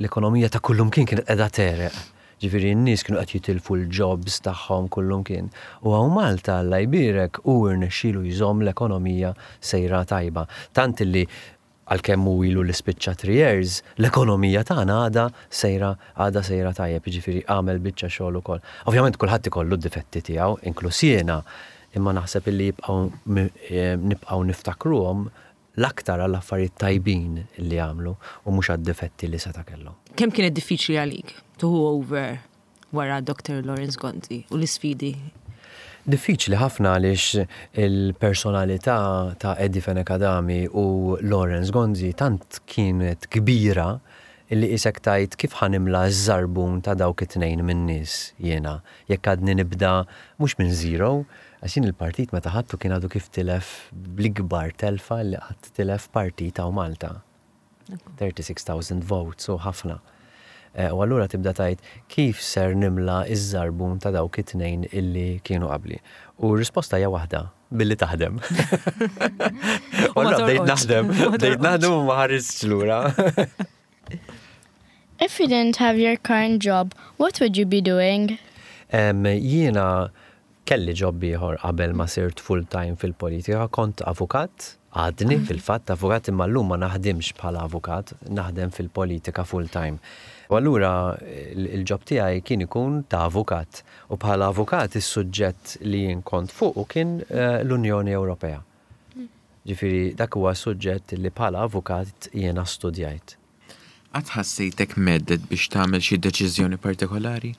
L-ekonomija ta' kullum kien kienet qiegħda tegħreq. Ġifieri n-nies kienu qed jitilfu l-jobs tagħhom kullum kien. U hawn Malta Alla jbierek u rnexxielu jżomm l-ekonomija sejra tajba. Tant illi għalkemm hu ilu li spiċċa three years, l-ekonomija tagħna għadha sejra għadha sejra tajjeb, jiġifieri għamel biċċa xogħol ukoll. Ovvjament kulħadd ikollu d-difetti tiegħu, inkluż jiena, imma naħseb illi jibqgħu mi- eh, nibqgħu niftakruhom l-aktar għall affarijiet tajbin li għamlu u mhux għad-difetti li seta' kellhom. Kemm kienet diffiċli għalik to over wara Doctor Lawrence Gonzi u l-isfidi? Diffiċli ħafna għaliex il-personalità ta' Eddie Fenech Adami u Lawrence Gonzi tant kienet kbira illi isek tajt kif ħa nimla ż-żarbun ta' dawk it-tnejn minn nies jiena. Jekk għadni nibda mhux minn zero, għax jien il-partit meta ħadtu kien għadu kif tilef bl-ikbar telfa li qatt tilef partit hawn Malta. thirty-six thousand votes, u ħafna. Eh, U allura tibda tajt kif ser nimla iż-żarbun ta' dawk it-tnejn illi kienu qabli. U r-risposta hija waħda, billi taħdem. U U ma allura bdejt torqodx. naħdem, U ma bdejt torqodx. naħdem u ma ħaristx lura. If you didn't have your current job, what would you be doing? Em, Jiena kelli job ieħor qabel ma sirt full-time fil-politika, kont avukat, għadni fil-fatt avukat imma llum ma naħdimx bħala avukat, naħdem fil-politika full-time. U allura il- il-job tiegħi kien ikun ta' avukat. U bħala avukat is-suġġett li jien kont fuq u kien eh, l-Unjoni Ewropea. Ġifieri dak huwa suġġett li bħala avukat jiena studjajt. Qatt ħassejtek mhedded biex tagħmel xi deċiżjoni partikolari?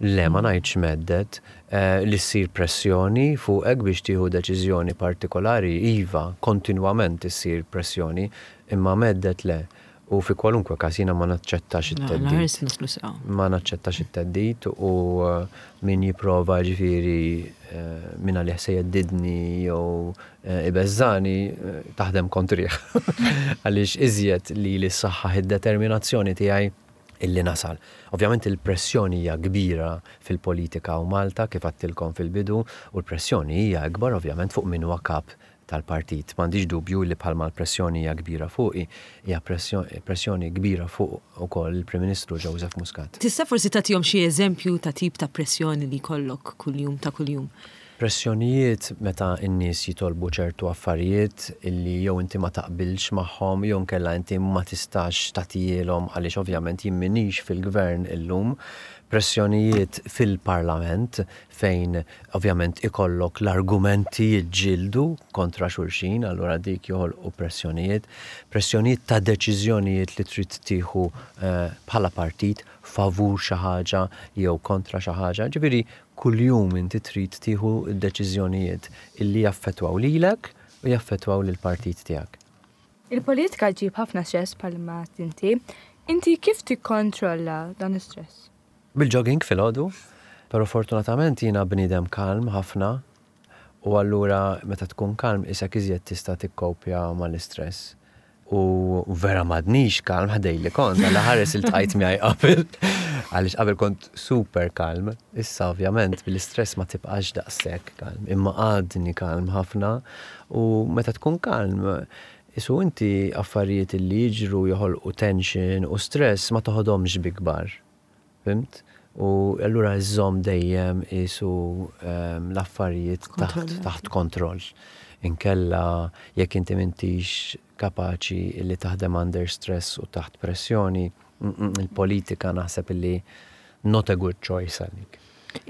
Le, ma ngħidx mhedded, eh, li ssir pressjoni fuqek biex tieħu deċiżjoni partikolari, iva, kontinwament issir pressjoni, imma mhedded le. U fi kwalunkwe każ jiena ma naċċettax it-theddid. Ħares naslu sew. Ma naċċettax it-theddid u eh, min jipprova, ġifieri eh, min għalih se jheddidni jew eh, ibeżżani, eh, taħdem kontrih. Għaliex iżjed li li ssaħħaħ id-determinazzjoni tiegħi illi nasal. Ovvjament il-pressjoni hija kbira fil-politika u Malta, kif għedtilkom fil-bidu, u l-pressjoni hija ikbar ovvjament fuq min huwa kap tal-partit. M'għandix dubju li bħalma l-pressjoni hija kbira fuqi, hija pressjoni, pressjoni kbira fuq ukoll il-Prim Ministru Joseph Muscat. Tista' forsi tagħtihom xi eżempju ta' tip ta' pressjoni li jkollok kuljum ta' kuljum? Pressjonijiet meta n-nies jitolbu ċertu affarijiet illi jew inti ma taqbilx magħhom jew inkella inti ma tistax tagħtihielhom għaliex ovvjament jien m'iniex fil-gvern illum. Pressjonijiet fil-parlament fejn ovvjament ikollok l-argumenti jiġġieldu kontra xulxin, allura dik joħolqu pressjonijiet. Pressjonijiet ta' deċiżjonijiet li trid tieħu eh, bħala partit favur xi ħaġa jew kontra xi ħaġa. Ġifieri kuljum inti trid tieħu deċiżjonijiet illi jaffettwaw lilek u jaffettwaw lill-partit tiegħek. Il-politika ġib ħafna stress bħalma inti. Inti kif tikkontrolla dan is-stress? Bil-jogging filgħodu, pero fortunatament jiena bniedem kalm ħafna u allura meta tkun kalm isek iżjed tista' tikkopja mal-istress. U vera m'għadnix kalm ħdej li kont, għalla ħares iltqajt miegħi qabel, għaliex qabel kont super kalm. Issa ovvjament bil-istress ma tibqax daqshekk kalm, imma għadni kalm ħafna u meta tkun kalm, isu inti affarijiet li jiġru joħolqu tension u stress ma toħodhomx bi kbar. Fhimt? U allura iżżomm dejjem isu ehm, l-affarijiet taħt, Kontroll. taħt kontroll. Inkella jekk inti m'intix kapaċi li taħdem under stress u taħt pressjoni, mm, mm, il-politika naħseb illi not a good choice għalik.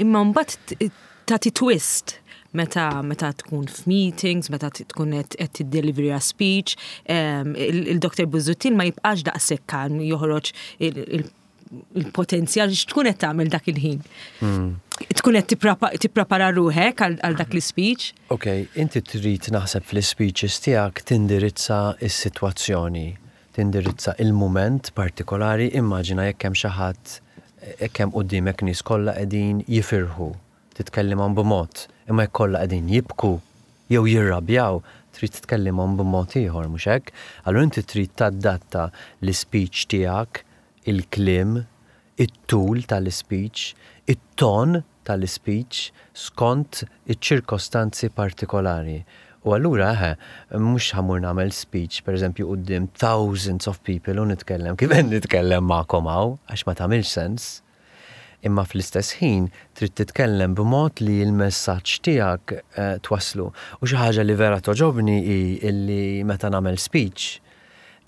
Imma mbagħad t- tagħti twist meta meta tkun f'meetings, meta t- tkun qed qed tiddeliveri a speech, em, il- il-Dottor Busuttil ma jibqax daqshekk kalm, joħroġ il- il- il-potenzjal x'tkun qed tagħmel dak il-ħin. Tkun qed tipprapa- tipprepara ruħek għal għal dak l-speech. Ok, inti trid naħseb fl-speeches tiegħek tindirizza is-sitwazzjoni, tindirizza il-moment partikolari, immaġina jekk hemm xi ħadd, jekk hemm quddiemek nies kollha qegħdin jifirħu, titkellimhom b'mod, imma jekk kollha qegħdin jibku jew jirrabjaw, trid titkellimhom b'mod ieħor, mhux hekk? Allura inti trid tadatta l-speech tiegħek, il-kliem, it-tul tal-speech, it-ton tal-speech skont iċ-ċirkostanzi partikolari. U allura eħe, mhux ħa mmur nagħmel speech, per eżempju, quddiem thousands of people u nitkellem kif qed nitkellem magħkom hawn, għax ma tagħmilx sens. Imma fl-istess ħin trid titkellem b'mod li l-messaġġ tiegħek eh, twaslu. U xi ħaġa li vera togħġobni hi illi meta nagħmel speech,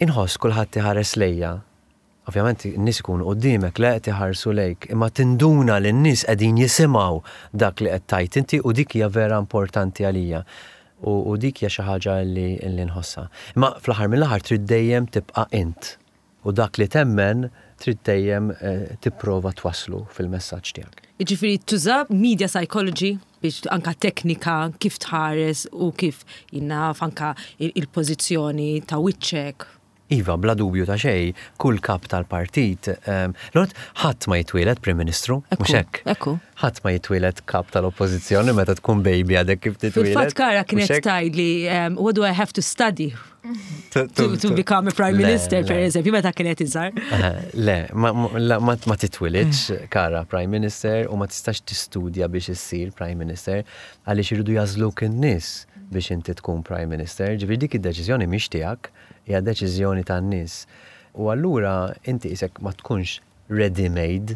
inħoss kulħadd iħares lejja. Ovvjament n-nies ikunu quddiemek, le qed iħarsu lejk, imma tinduna li n-nies qegħdin jisimgħu dak li qed tgħid inti u dik hija vera importanti għalija. U, u dik hija xi ħaġa li, li nħossha. Imma fl-aħħar mill-aħħar trid dejjem tibqa' int. U dak li temmen trid dejjem eh, tipprova twaslu fil-messaġġ tiegħek. Jiġifieri tuża media psychology biex anka teknika kif tħares u kif jinnaf anka il- il-pożizzjoni ta' wiċċek. Iva, bla dubju ta' xej, kull kap tal-partit, um, l ħadd ma jitwieled Prim Ministru, mhux hekk. Ekku. Ħadd ma jitwieled kap tal-Oppożizzjoni meta tkun baby għadek kif titwieled. Fil-fatt Kara mhux kienet hekk? tgħidli, um, what do I have to study To- to, to become a prime Le, minister, per le. eżempju, meta kienet iżgħar. Eh, Le, ma, ma, la- ma, ma titwilidx Kara Prime Minister u ma tistax tistudja biex issir Prime Minister għaliex iridu jagħżluk in-nies biex inti tkun Prime Minister. Ġifieri dik id-deċiżjoni mhix tiegħek, hija deċiżjoni tan-nies. U allura inti isek ma tkunx ready made,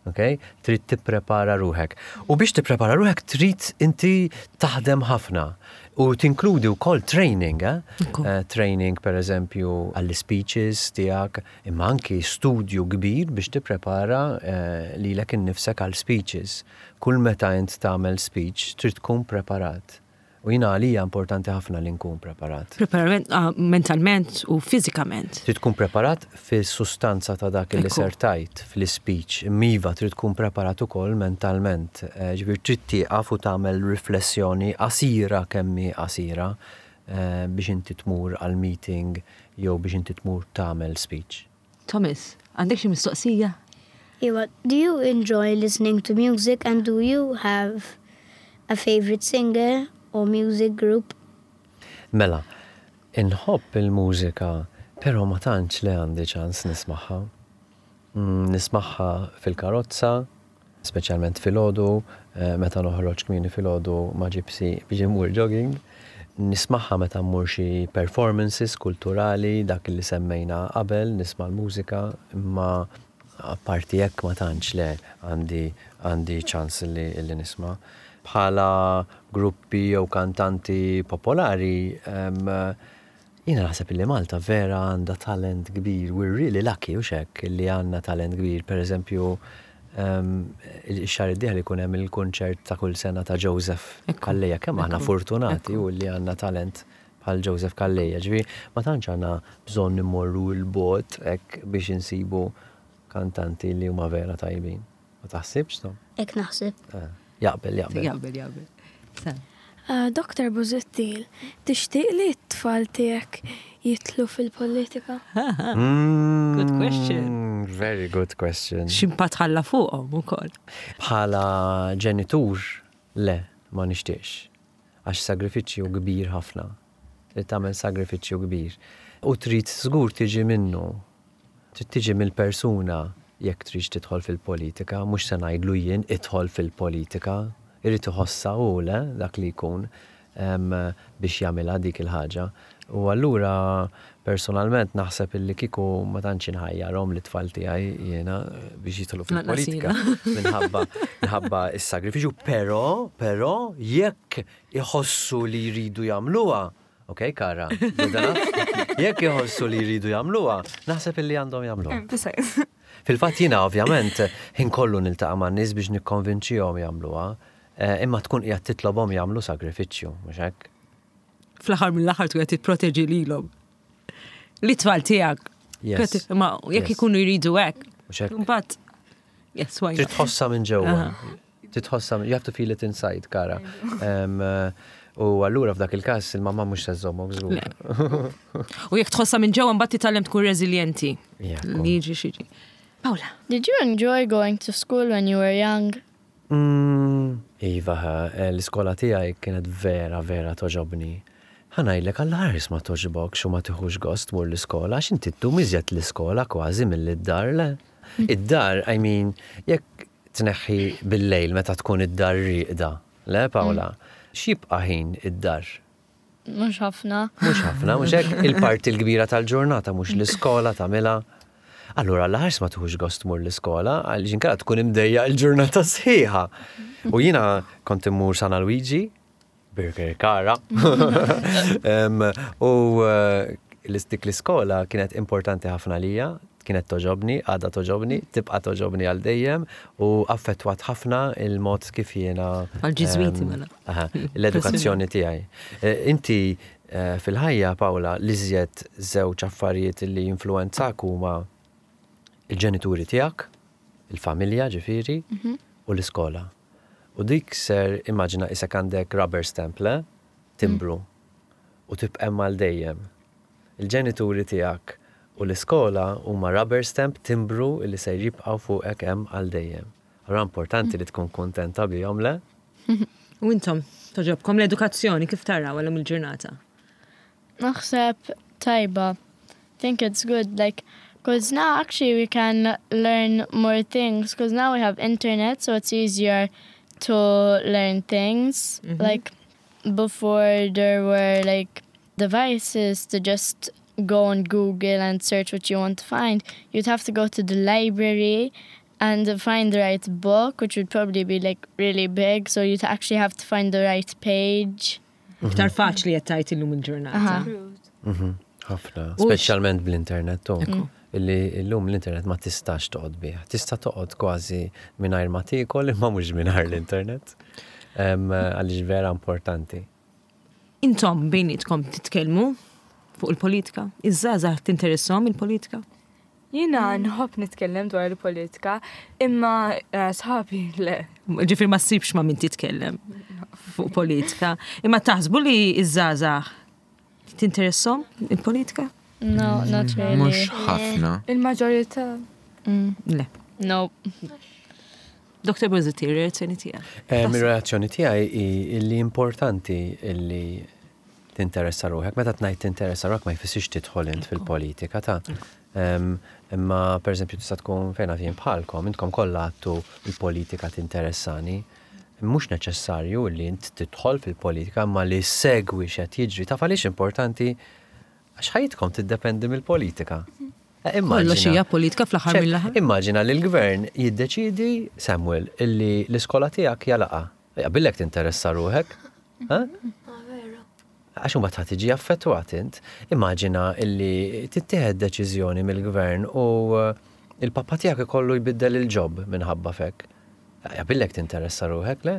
ok? Trid tipprepara ruħek. U biex tipprepara ruħek trid inti taħdem ħafna. U tinkludi wkoll training, eh? Ekku. Eh, training per eżempju għall-speeches tiegħek, imma anki studju kbir biex tipprepara eh, lilek innifsek għall speeches. Kull meta int tagħmel speech trid tkun preparat. U jiena għalija importanti ħafna li nkun preparat. Preparament ah, mentalment u fiżikament. Trid tkun preparat fis-sustanza ta' dak li Ekku. ser tgħid fl-speech. Iva trid tkun preparat ukoll mentalment. Eh, Ġifieri trid tieqaf u tagħmel riflessjoni qasira kemm hi qasira eh, biex inti tmur għal meeting jew biex inti tmur tagħmel speech. Thomas, għandek xi mistoqsija? Iwa, do you enjoy listening to music and do you have a favorite singer or music group? Mela, inħobb il-mużika, però ma tantx li għandi ċans nismagħha. Mm, Nismagħha fil-karozza, speċjalment filgħodu, eh, meta noħroġ kmieni filgħodu ma' Gypsy biex immur jogging. Nismagħha meta mmur xi performances kulturali, dak li semmejna qabel, nisma' l-mużika, imma apparti hekk ma tantx le għandi għandi ċans li, li nisma'. Bħala gruppi jew kantanti popolari, um, jiena naħseb li Malta vera għandha talent kbir. We're really lucky u hekk li għandna talent kbir. Per eżempju, um, ix-xahar id-dieħel ikun hemm il-kunċert ta' kull sena ta' Joseph Ekku. Calleja. Kemm aħna Ekku. fortunati Ekku. u li għandna talent bħal Joseph Calleja. Ġifieri, ma tantx għandna bżonn immorru 'l bogħod hekk biex insibu kantanti li huma vera tajbin. Ma taħsibx, no? Hekk naħseb. Eh, Jaqbel, jaqbel. Jaqbel, jaqbel. Sa. Uh, Dr. Busuttil, tixtieq li t-tfal tiegħek jidħlu fil-politika? Mm, Good question. Very good question. X'impatt ħalla fuqhom ukoll. Bħala ġenitur, le, ma nixtiex. Għax sagrifiċċju kbir ħafna. Trid tagħmel sagrifiċċju kbir. U trid żgur tiġi minnu. Trid tiġi mill-persuna jekk tridx tidħol fil-politika, mhux se ngħidlu jien idħol fil-politika, irid iħossha hu le dak li jkun em, biex jagħmilha dik il-ħaġa. U allura personalment naħseb illi kieku ma tantx inħajjarhom lit-tfal tiegħi jiena biex jidħlu fil-politika minħabba minħabba is-sagrifiċju, però però jekk iħossu li jridu jagħmluha, ok, Kara, good enough? Jekk iħossu li jridu jagħmluha, naħseb illi għandhom jagħmluha. Precise. Fil-fatt jiena ovvjament ħin kollu niltaqa' man-nies biex nikkonvinċihom jagħmluha, eh, imma tkun qiegħed titlobhom jagħmlu sagrifiċċju, mhux hekk? Fl-aħħar mill-aħħar tkun qed tipproteġi lilhom. Lit-tfal tiegħek. Yes. Ma jekk Yes. ikunu jridu hekk. Mhux hekk? Imbagħad yes, why Trid not? tħossha minn ġewwa. Aha. Trid tħossha, you have to feel it inside, Kara. Em, eh, U allura f'dak il-każ il-mamma mhux se żżommok żgur. Le. U jekk tħossha minn ġewwa mbagħad titgħallem tkun reżiljenti. Yeah, Li jiġi x'jiġi. Paula. Did you enjoy going to school when you were young? Mm, Iva, eh, l-iskola tiegħi kienet vera, vera togħġobni. Ħa ngħidlek għall-ħares ma togħġbokx u ma tiħux gost tmur l-iskola, għax inti ddum iżjed l-iskola kważi mill-id-dar, le? Id-dar, I mean, jekk tneħħi bil-lejl meta tkun id-dar riqda, le, Paula? X'jibqa' ħin id-dar? Mhux ħafna. Mhux ħafna, mhux hekk il-parti l-kbira tal-ġurnata, mhux l-iskola tagħmilha. Allura l-ħars ma tiħux gost tmur l-iskola, għaliex inkella tkun imdejja l-ġurnata sħiħa. U jiena kont immur San Luigi, Birkirkara. Em, U eh, l- dik l-iskola kienet importanti ħafna lija, kienet togħġobni, għadha togħġobni, tibqa togħġobni għal dejjem u affettwat ħafna il-mod kif jiena Għal-Ġiżwiti em, mela. aha, l-edukazzjoni tiegħi. Eh, Inti eh, fil-ħajja, Paula, l-iżjed żewġ affarijiet li jinfluwenzak huma il-ġenituri tiegħek, il-familja ġifieri, u l-iskola. U dik ser immaġina isek għandek rubber stamp, le? Timbru. U tibqa' hemm għal dejjem. Il-ġenituri tiegħek u l-iskola huma rubber stamp timbru li se jibqgħu fuqek hemm għal dejjem. Allura importanti li tkun kontenta bihom, le? U intom, togħġobkom l-edukazzjoni kif taraw għallum il-ġurnata? Naħseb tajba. Think it's good, like, because now actually we can learn more things, because now we have internet, so it's easier to learn things. Like, before there were like devices to just go on Google and search what you want to find. You'd have to go to the library and find the right book, which would probably be like really big, so you'd actually have to find the right page. Iktar faċli qed tgħid illum il-ġurnata. Mhm, Ħafna, U- speċjalment bl-internet tu. Illi illum l-internet ma tistax toqgħod bih. Tista' toqgħod kważi mingħajr ma tiekol imma mhux mingħajr l-internet. Em, Għaliex vera importanti. Intom bejnietkom titkellmu fuq il-politika? Iż-żgħażagħ tinteressahom il-politika? Jiena nħobb nitkellem dwar il-politika, imma eh, sħabi le. Ġifieri ma ssibx ma' min titkellem fuq politika. Imma taħsbu li iż-żgħażagħ tinteressahom il-politika? No, not really. Mhux ħafna. Il-maġġorità. Le. No. Doktor Busuttil, reazzjoni tiegħek. Eh, Ir-reazzjoni tiegħi hi illi importanti illi tinteressa ruħek. Meta tgħid tinteressa ruħek, ma jfissirx tidħol int fil-politika ta' Em, Imma per eżempju tista' tkun fejn jien bħalkom, intkom kollha għattu il-politika tinteressani. Mhux neċessarju li int tidħol fil-politika, imma li segwi x'qed jiġri. Taf għaliex importanti? Għax ħajtkom tiddependi mill-politika. Eh, Kollox immaġina- hija politika fl-aħħar ċe, mill-aħħar. Immaġina li l-gvern jiddeċidi, Samuel, illi l-iskola tiegħek jagħlaqha. Jaqbillek tinteressa ruħek. Ha? Għax imbagħad ħa tiġi affettwat int. Immaġina illi tittieħed deċiżjoni mill-gvern u eh, il-papà tiegħek ikollu jbiddel il-job minħabba fek. Jaqbillek tinteressa ruħek, le?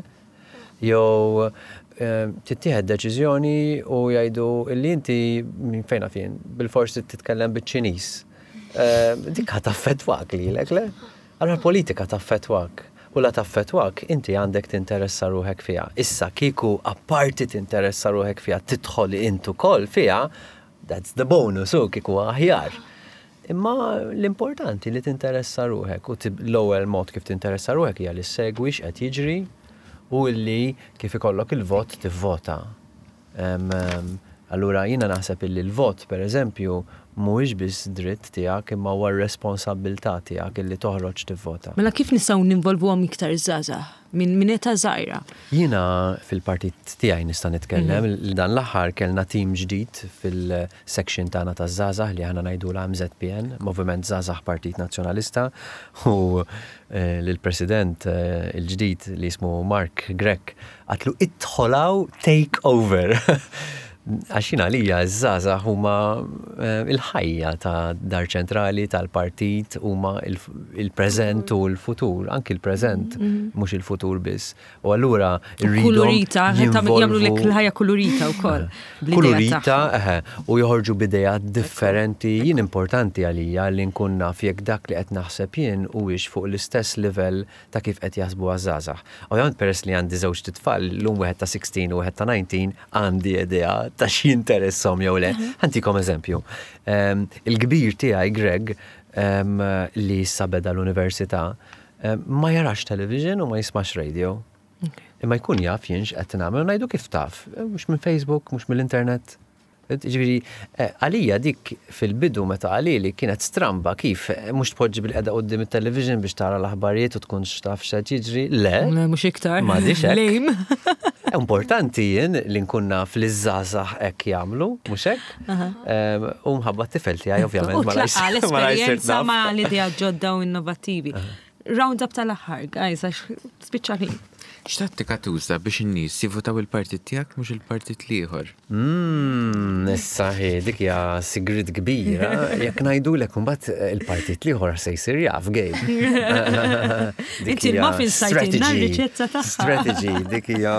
Jew eh, tittieħed deċiżjoni u jgħidu illi inti minn fejn fien bil-forsi titkellem biċ-Ċiniż. Eh, Dik ħa taffettwak lilek, le? Allora l-politika taffettwak. U la taffettwak, inti għandek tinteressa ruħek fiha. Issa kieku apparti tinteressa ruħek fiha, tidħol int ukoll fiha, that's the bonus, u kieku aħjar. Imma l-importanti li tinteressa ruħek u tib- l-ewwel mod kif tinteressa ruħek hija li segwi x'qed jiġri u li kif ikollok il-vot tivvota. Em, em, Allura jiena naħseb illi l-vot, per eżempju, mhuwiex biss dritt tiegħek, imma huwa r-responsabbiltà tiegħek illi toħroġ tivvota. Mela kif nistgħu ninvolvuhom iktar iż-żgħażagħ minn min età żgħira? Jiena fil-partit tiegħi nista' nitkellem li dan l-aħħar kellna tim ġdid fil-section tagħna taż-żgħażagħ li aħna ngħidulha M Z P N, Moviment Żgħażagħ Partit Nazzjonalista, u eh, lill-President eh, il-ġdid li jismu Mark Grech għedtlu, "Idħol hawn, take over." Għax jiena għalija ż-żgħażagħ huma eh, il-ħajja ta' dar ċentrali tal-partit, huma il- il-preżent u l-futur, anki il-preżent, mhux il-futur biss. U allura rridhom Kulurita, jagħmlu lek jinvolvu- il-ħajja kulurita wkoll bl-idea Kulurita, tagħhom. eħe, u joħorġu b'idejat differenti. Jien importanti għalija li nkun naf jekk dak li qed naħseb jien huwiex fuq l-istess livell ta' kif qed jaħsbu għaż-żgħażagħ. Ovvjament, peress li għandi żewġ titfal, llum wieħed ta' sittax u wieħed ta' dsatax, għandi idea ta' x'jinteresshom jew le. Ħa ntikom eżempju. Em, Il-kbir tiegħi Greg, em, li issa beda l-università, em, ma jarax television u ma jismax radio. Imma jkun jaf jien x'qed nagħmel u ngħidu, "Kif taf?" "Eh, mhux minn Facebook, mhux mill-internet." Ġifieri, eh, għalija dik fil-bidu meta qalili kienet stramba, kif eh, mhux tpoġġi bilqiegħda quddiem it-television biex tara l-aħbarijiet u tkun taf x'qed jiġri? Le. Le, mhux iktar. Ma dix hekk. Lame. Importanti jien li nkun naf li ż-żgħażagħ hekk jagħmlu, mhux hekk? Em, U mħabba t-tifel tiegħi ovvjament U ma tlaqqa lajs- ma lajs l-esperjenza naf. ma l-idea ġodda u innovativi. Round up tal-aħħar, guys, għax spiċċani. X'tattika tuża biex in-nies jivvotaw il-partit tiegħek, mhux il-partit l-ieħor? Mm, issa hi, dik hija sigrit kbira. Jekk ngħidulek, imbagħad il-partit l-ieħor se jsir jaf, Gabe. Dik Inti hija l-muffin sajtilna strategy. r-riċetta tagħha. Strategy, dik hija.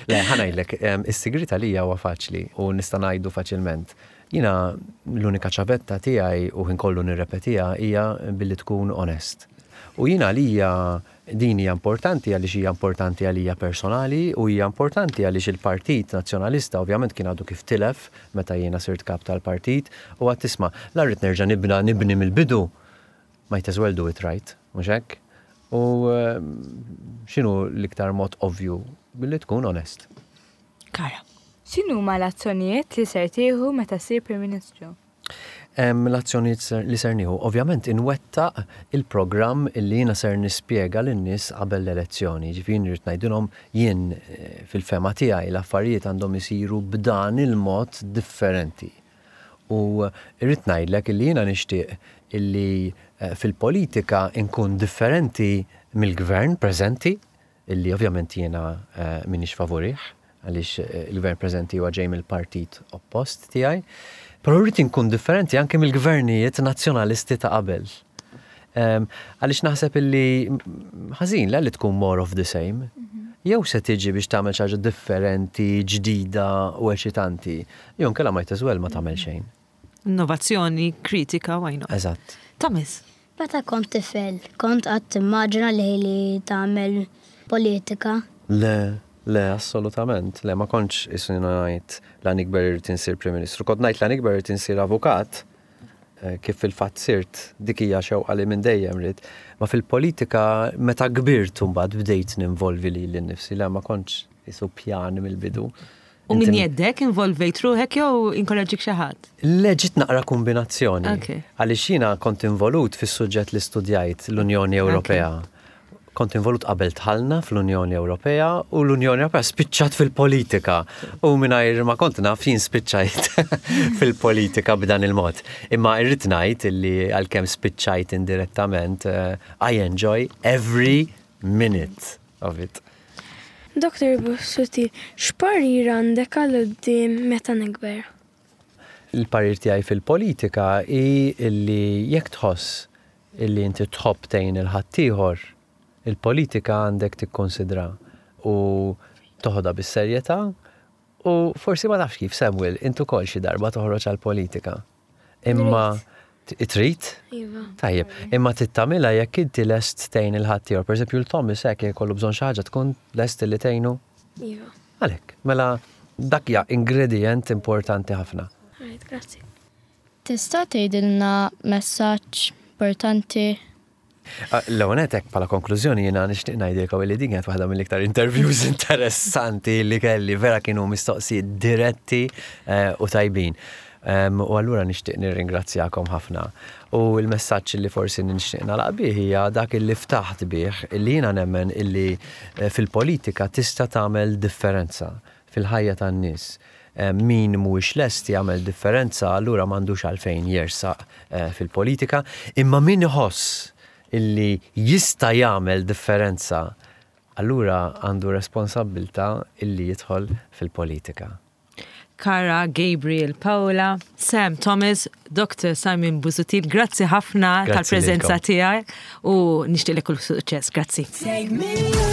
Le, ħa ngħidlek, em, is-sigrit għalija huwa faċli u nista' ngħidu faċilment. Jiena l-unika ċavetta tiegħi, u ħin kollu nirrepetiha, hija billi tkun onest. U jiena għalija din hija importanti, għaliex hija importanti għalija personali u hija importanti għaliex il-Partit Nazzjonalista ovvjament kien għadu kif tilef meta jiena sirt kap tal-partit u għedt, "Isma', la rrid nerġa' nibna nibni mill-bidu, might as well do it right," mhux hekk? U eh, x'inhu l-iktar mod ovvju? Billi tkun onest. Kara. X'inhuma l-azzjonijiet li ser tieħu meta ssir Prim Ministru? Em, L-azzjonijiet ser- li ser nieħu, ovvjament inwettaq il-programm illi jiena ser nispjega lin-nies qabel l-elezzjoni. Ġifieri rrid ngħidilhom jien eh, fil-fehma tiegħi l-affarijiet għandhom isiru b'dan il-mod differenti. U rrid ngħidlek illi jiena nixtieq illi eh, fil-politika nkun differenti mill-gvern preżenti, illi ovvjament jiena eh, m'iniex favorih, għaliex eh, il-gvern preżenti huwa ġej mill-partit oppost tiegħi. Però rrid inkun differenti anke mill-gvernijiet nazzjonalisti ta' qabel. Em, Għaliex naħseb illi mm, ħażin le li tkun more of the same. Jew se tiġi biex tagħmel xi ħaġa differenti, ġdida u eċitanti. Jew inkella might as well ma tagħmel xejn. Innovazzjoni, kritika, why not? Eżatt. Thomas. Meta kont tifel, kont qatt timmaġina li li tagħmel politika? Le, le, assolutament. Le, ma kontx isni ngħid la nikber irrid insir Prim Ministru. Kont ngħid la nikber irrid insir avukat, eh, kif fil-fatt sirt, dik hija xewqa li minn dejjem ridt. Ma fil-politika meta kbirt mbagħad bdejt ninvolvi lili nnifsi, le ma kontx isu pjan mill-bidu. U minn Inti- jeddek involvejt ruħek jew inkoraġġik xi ħadd? Le, ġiet naqra kombinazzjoni. Ok. Għaliex jiena kont involut fis-suġġett li studjajt, l-Unjoni Ewropea. Kont involut qabel dħalna fl-Unjoni Ewropea u l-Unjoni Ewropea spiċċat fil-politika. U mingħajr ma kont naf jien spiċċajt fil-politika b'dan il-mod. Imma irrid ngħid illi għalkemm spiċċajt indirettament, eh, I enjoy every minute of it. Doktor Busuttil, x'parir għandek għal quddiem meta nikber? Il-parir tiegħi fil-politika hi illi jekk tħoss illi inti tħobb tgħin il-ħaddieħor, il-politika għandek tikkonsidra u toħodha bis-serjetà u forsi, ma nafx kif, Samuel, intu kol xi darba toħroġ għal-politika. Imma trid? Iva. Tajjeb, imma tittamilha jekk inti lest tgħin il-ħaddieħor. Per eżempju, l-Thomas hekk jkollu bżonn xi ħaġa, tkun lest li tgħinu. Iva. Għalhekk, mela dak hija ingredient importanti ħafna. Right, grazzi. Tista' tgħidilna messaġġ importanti? Ah, l-ewwel hekk bħala konklużjoni jiena nixtieq ngħidilkom li din kienet waħda mill-iktar interviews interessanti li kelli, vera kienu mistoqsijiet diretti eh, u tajbin. Em, U allura nixtieq nirringrazzjakom ħafna. U l-messaġġ li forsi nixtieq nagħlaq bih hija dak li ftaħt bih, li jiena nemmen illi eh, fil-politika tista' tagħmel differenza fil-ħajja tan-nies. Eh, Min mhuwiex lest jagħmel differenza, allura m'għandux għalfejn jersaq eh, fil-politika, imma min iħoss illi jista' jagħmel differenza, allura għandu responsabbiltà illi jidħol fil-politika. Kara, Gabriel, Paola, Sam Thomas, Doctor Simon Busuttil, grazzi ħafna Grazzi tal-preżenza lilkom. tiegħek u nixtieqlek kull suċċess. Grazzi. Take me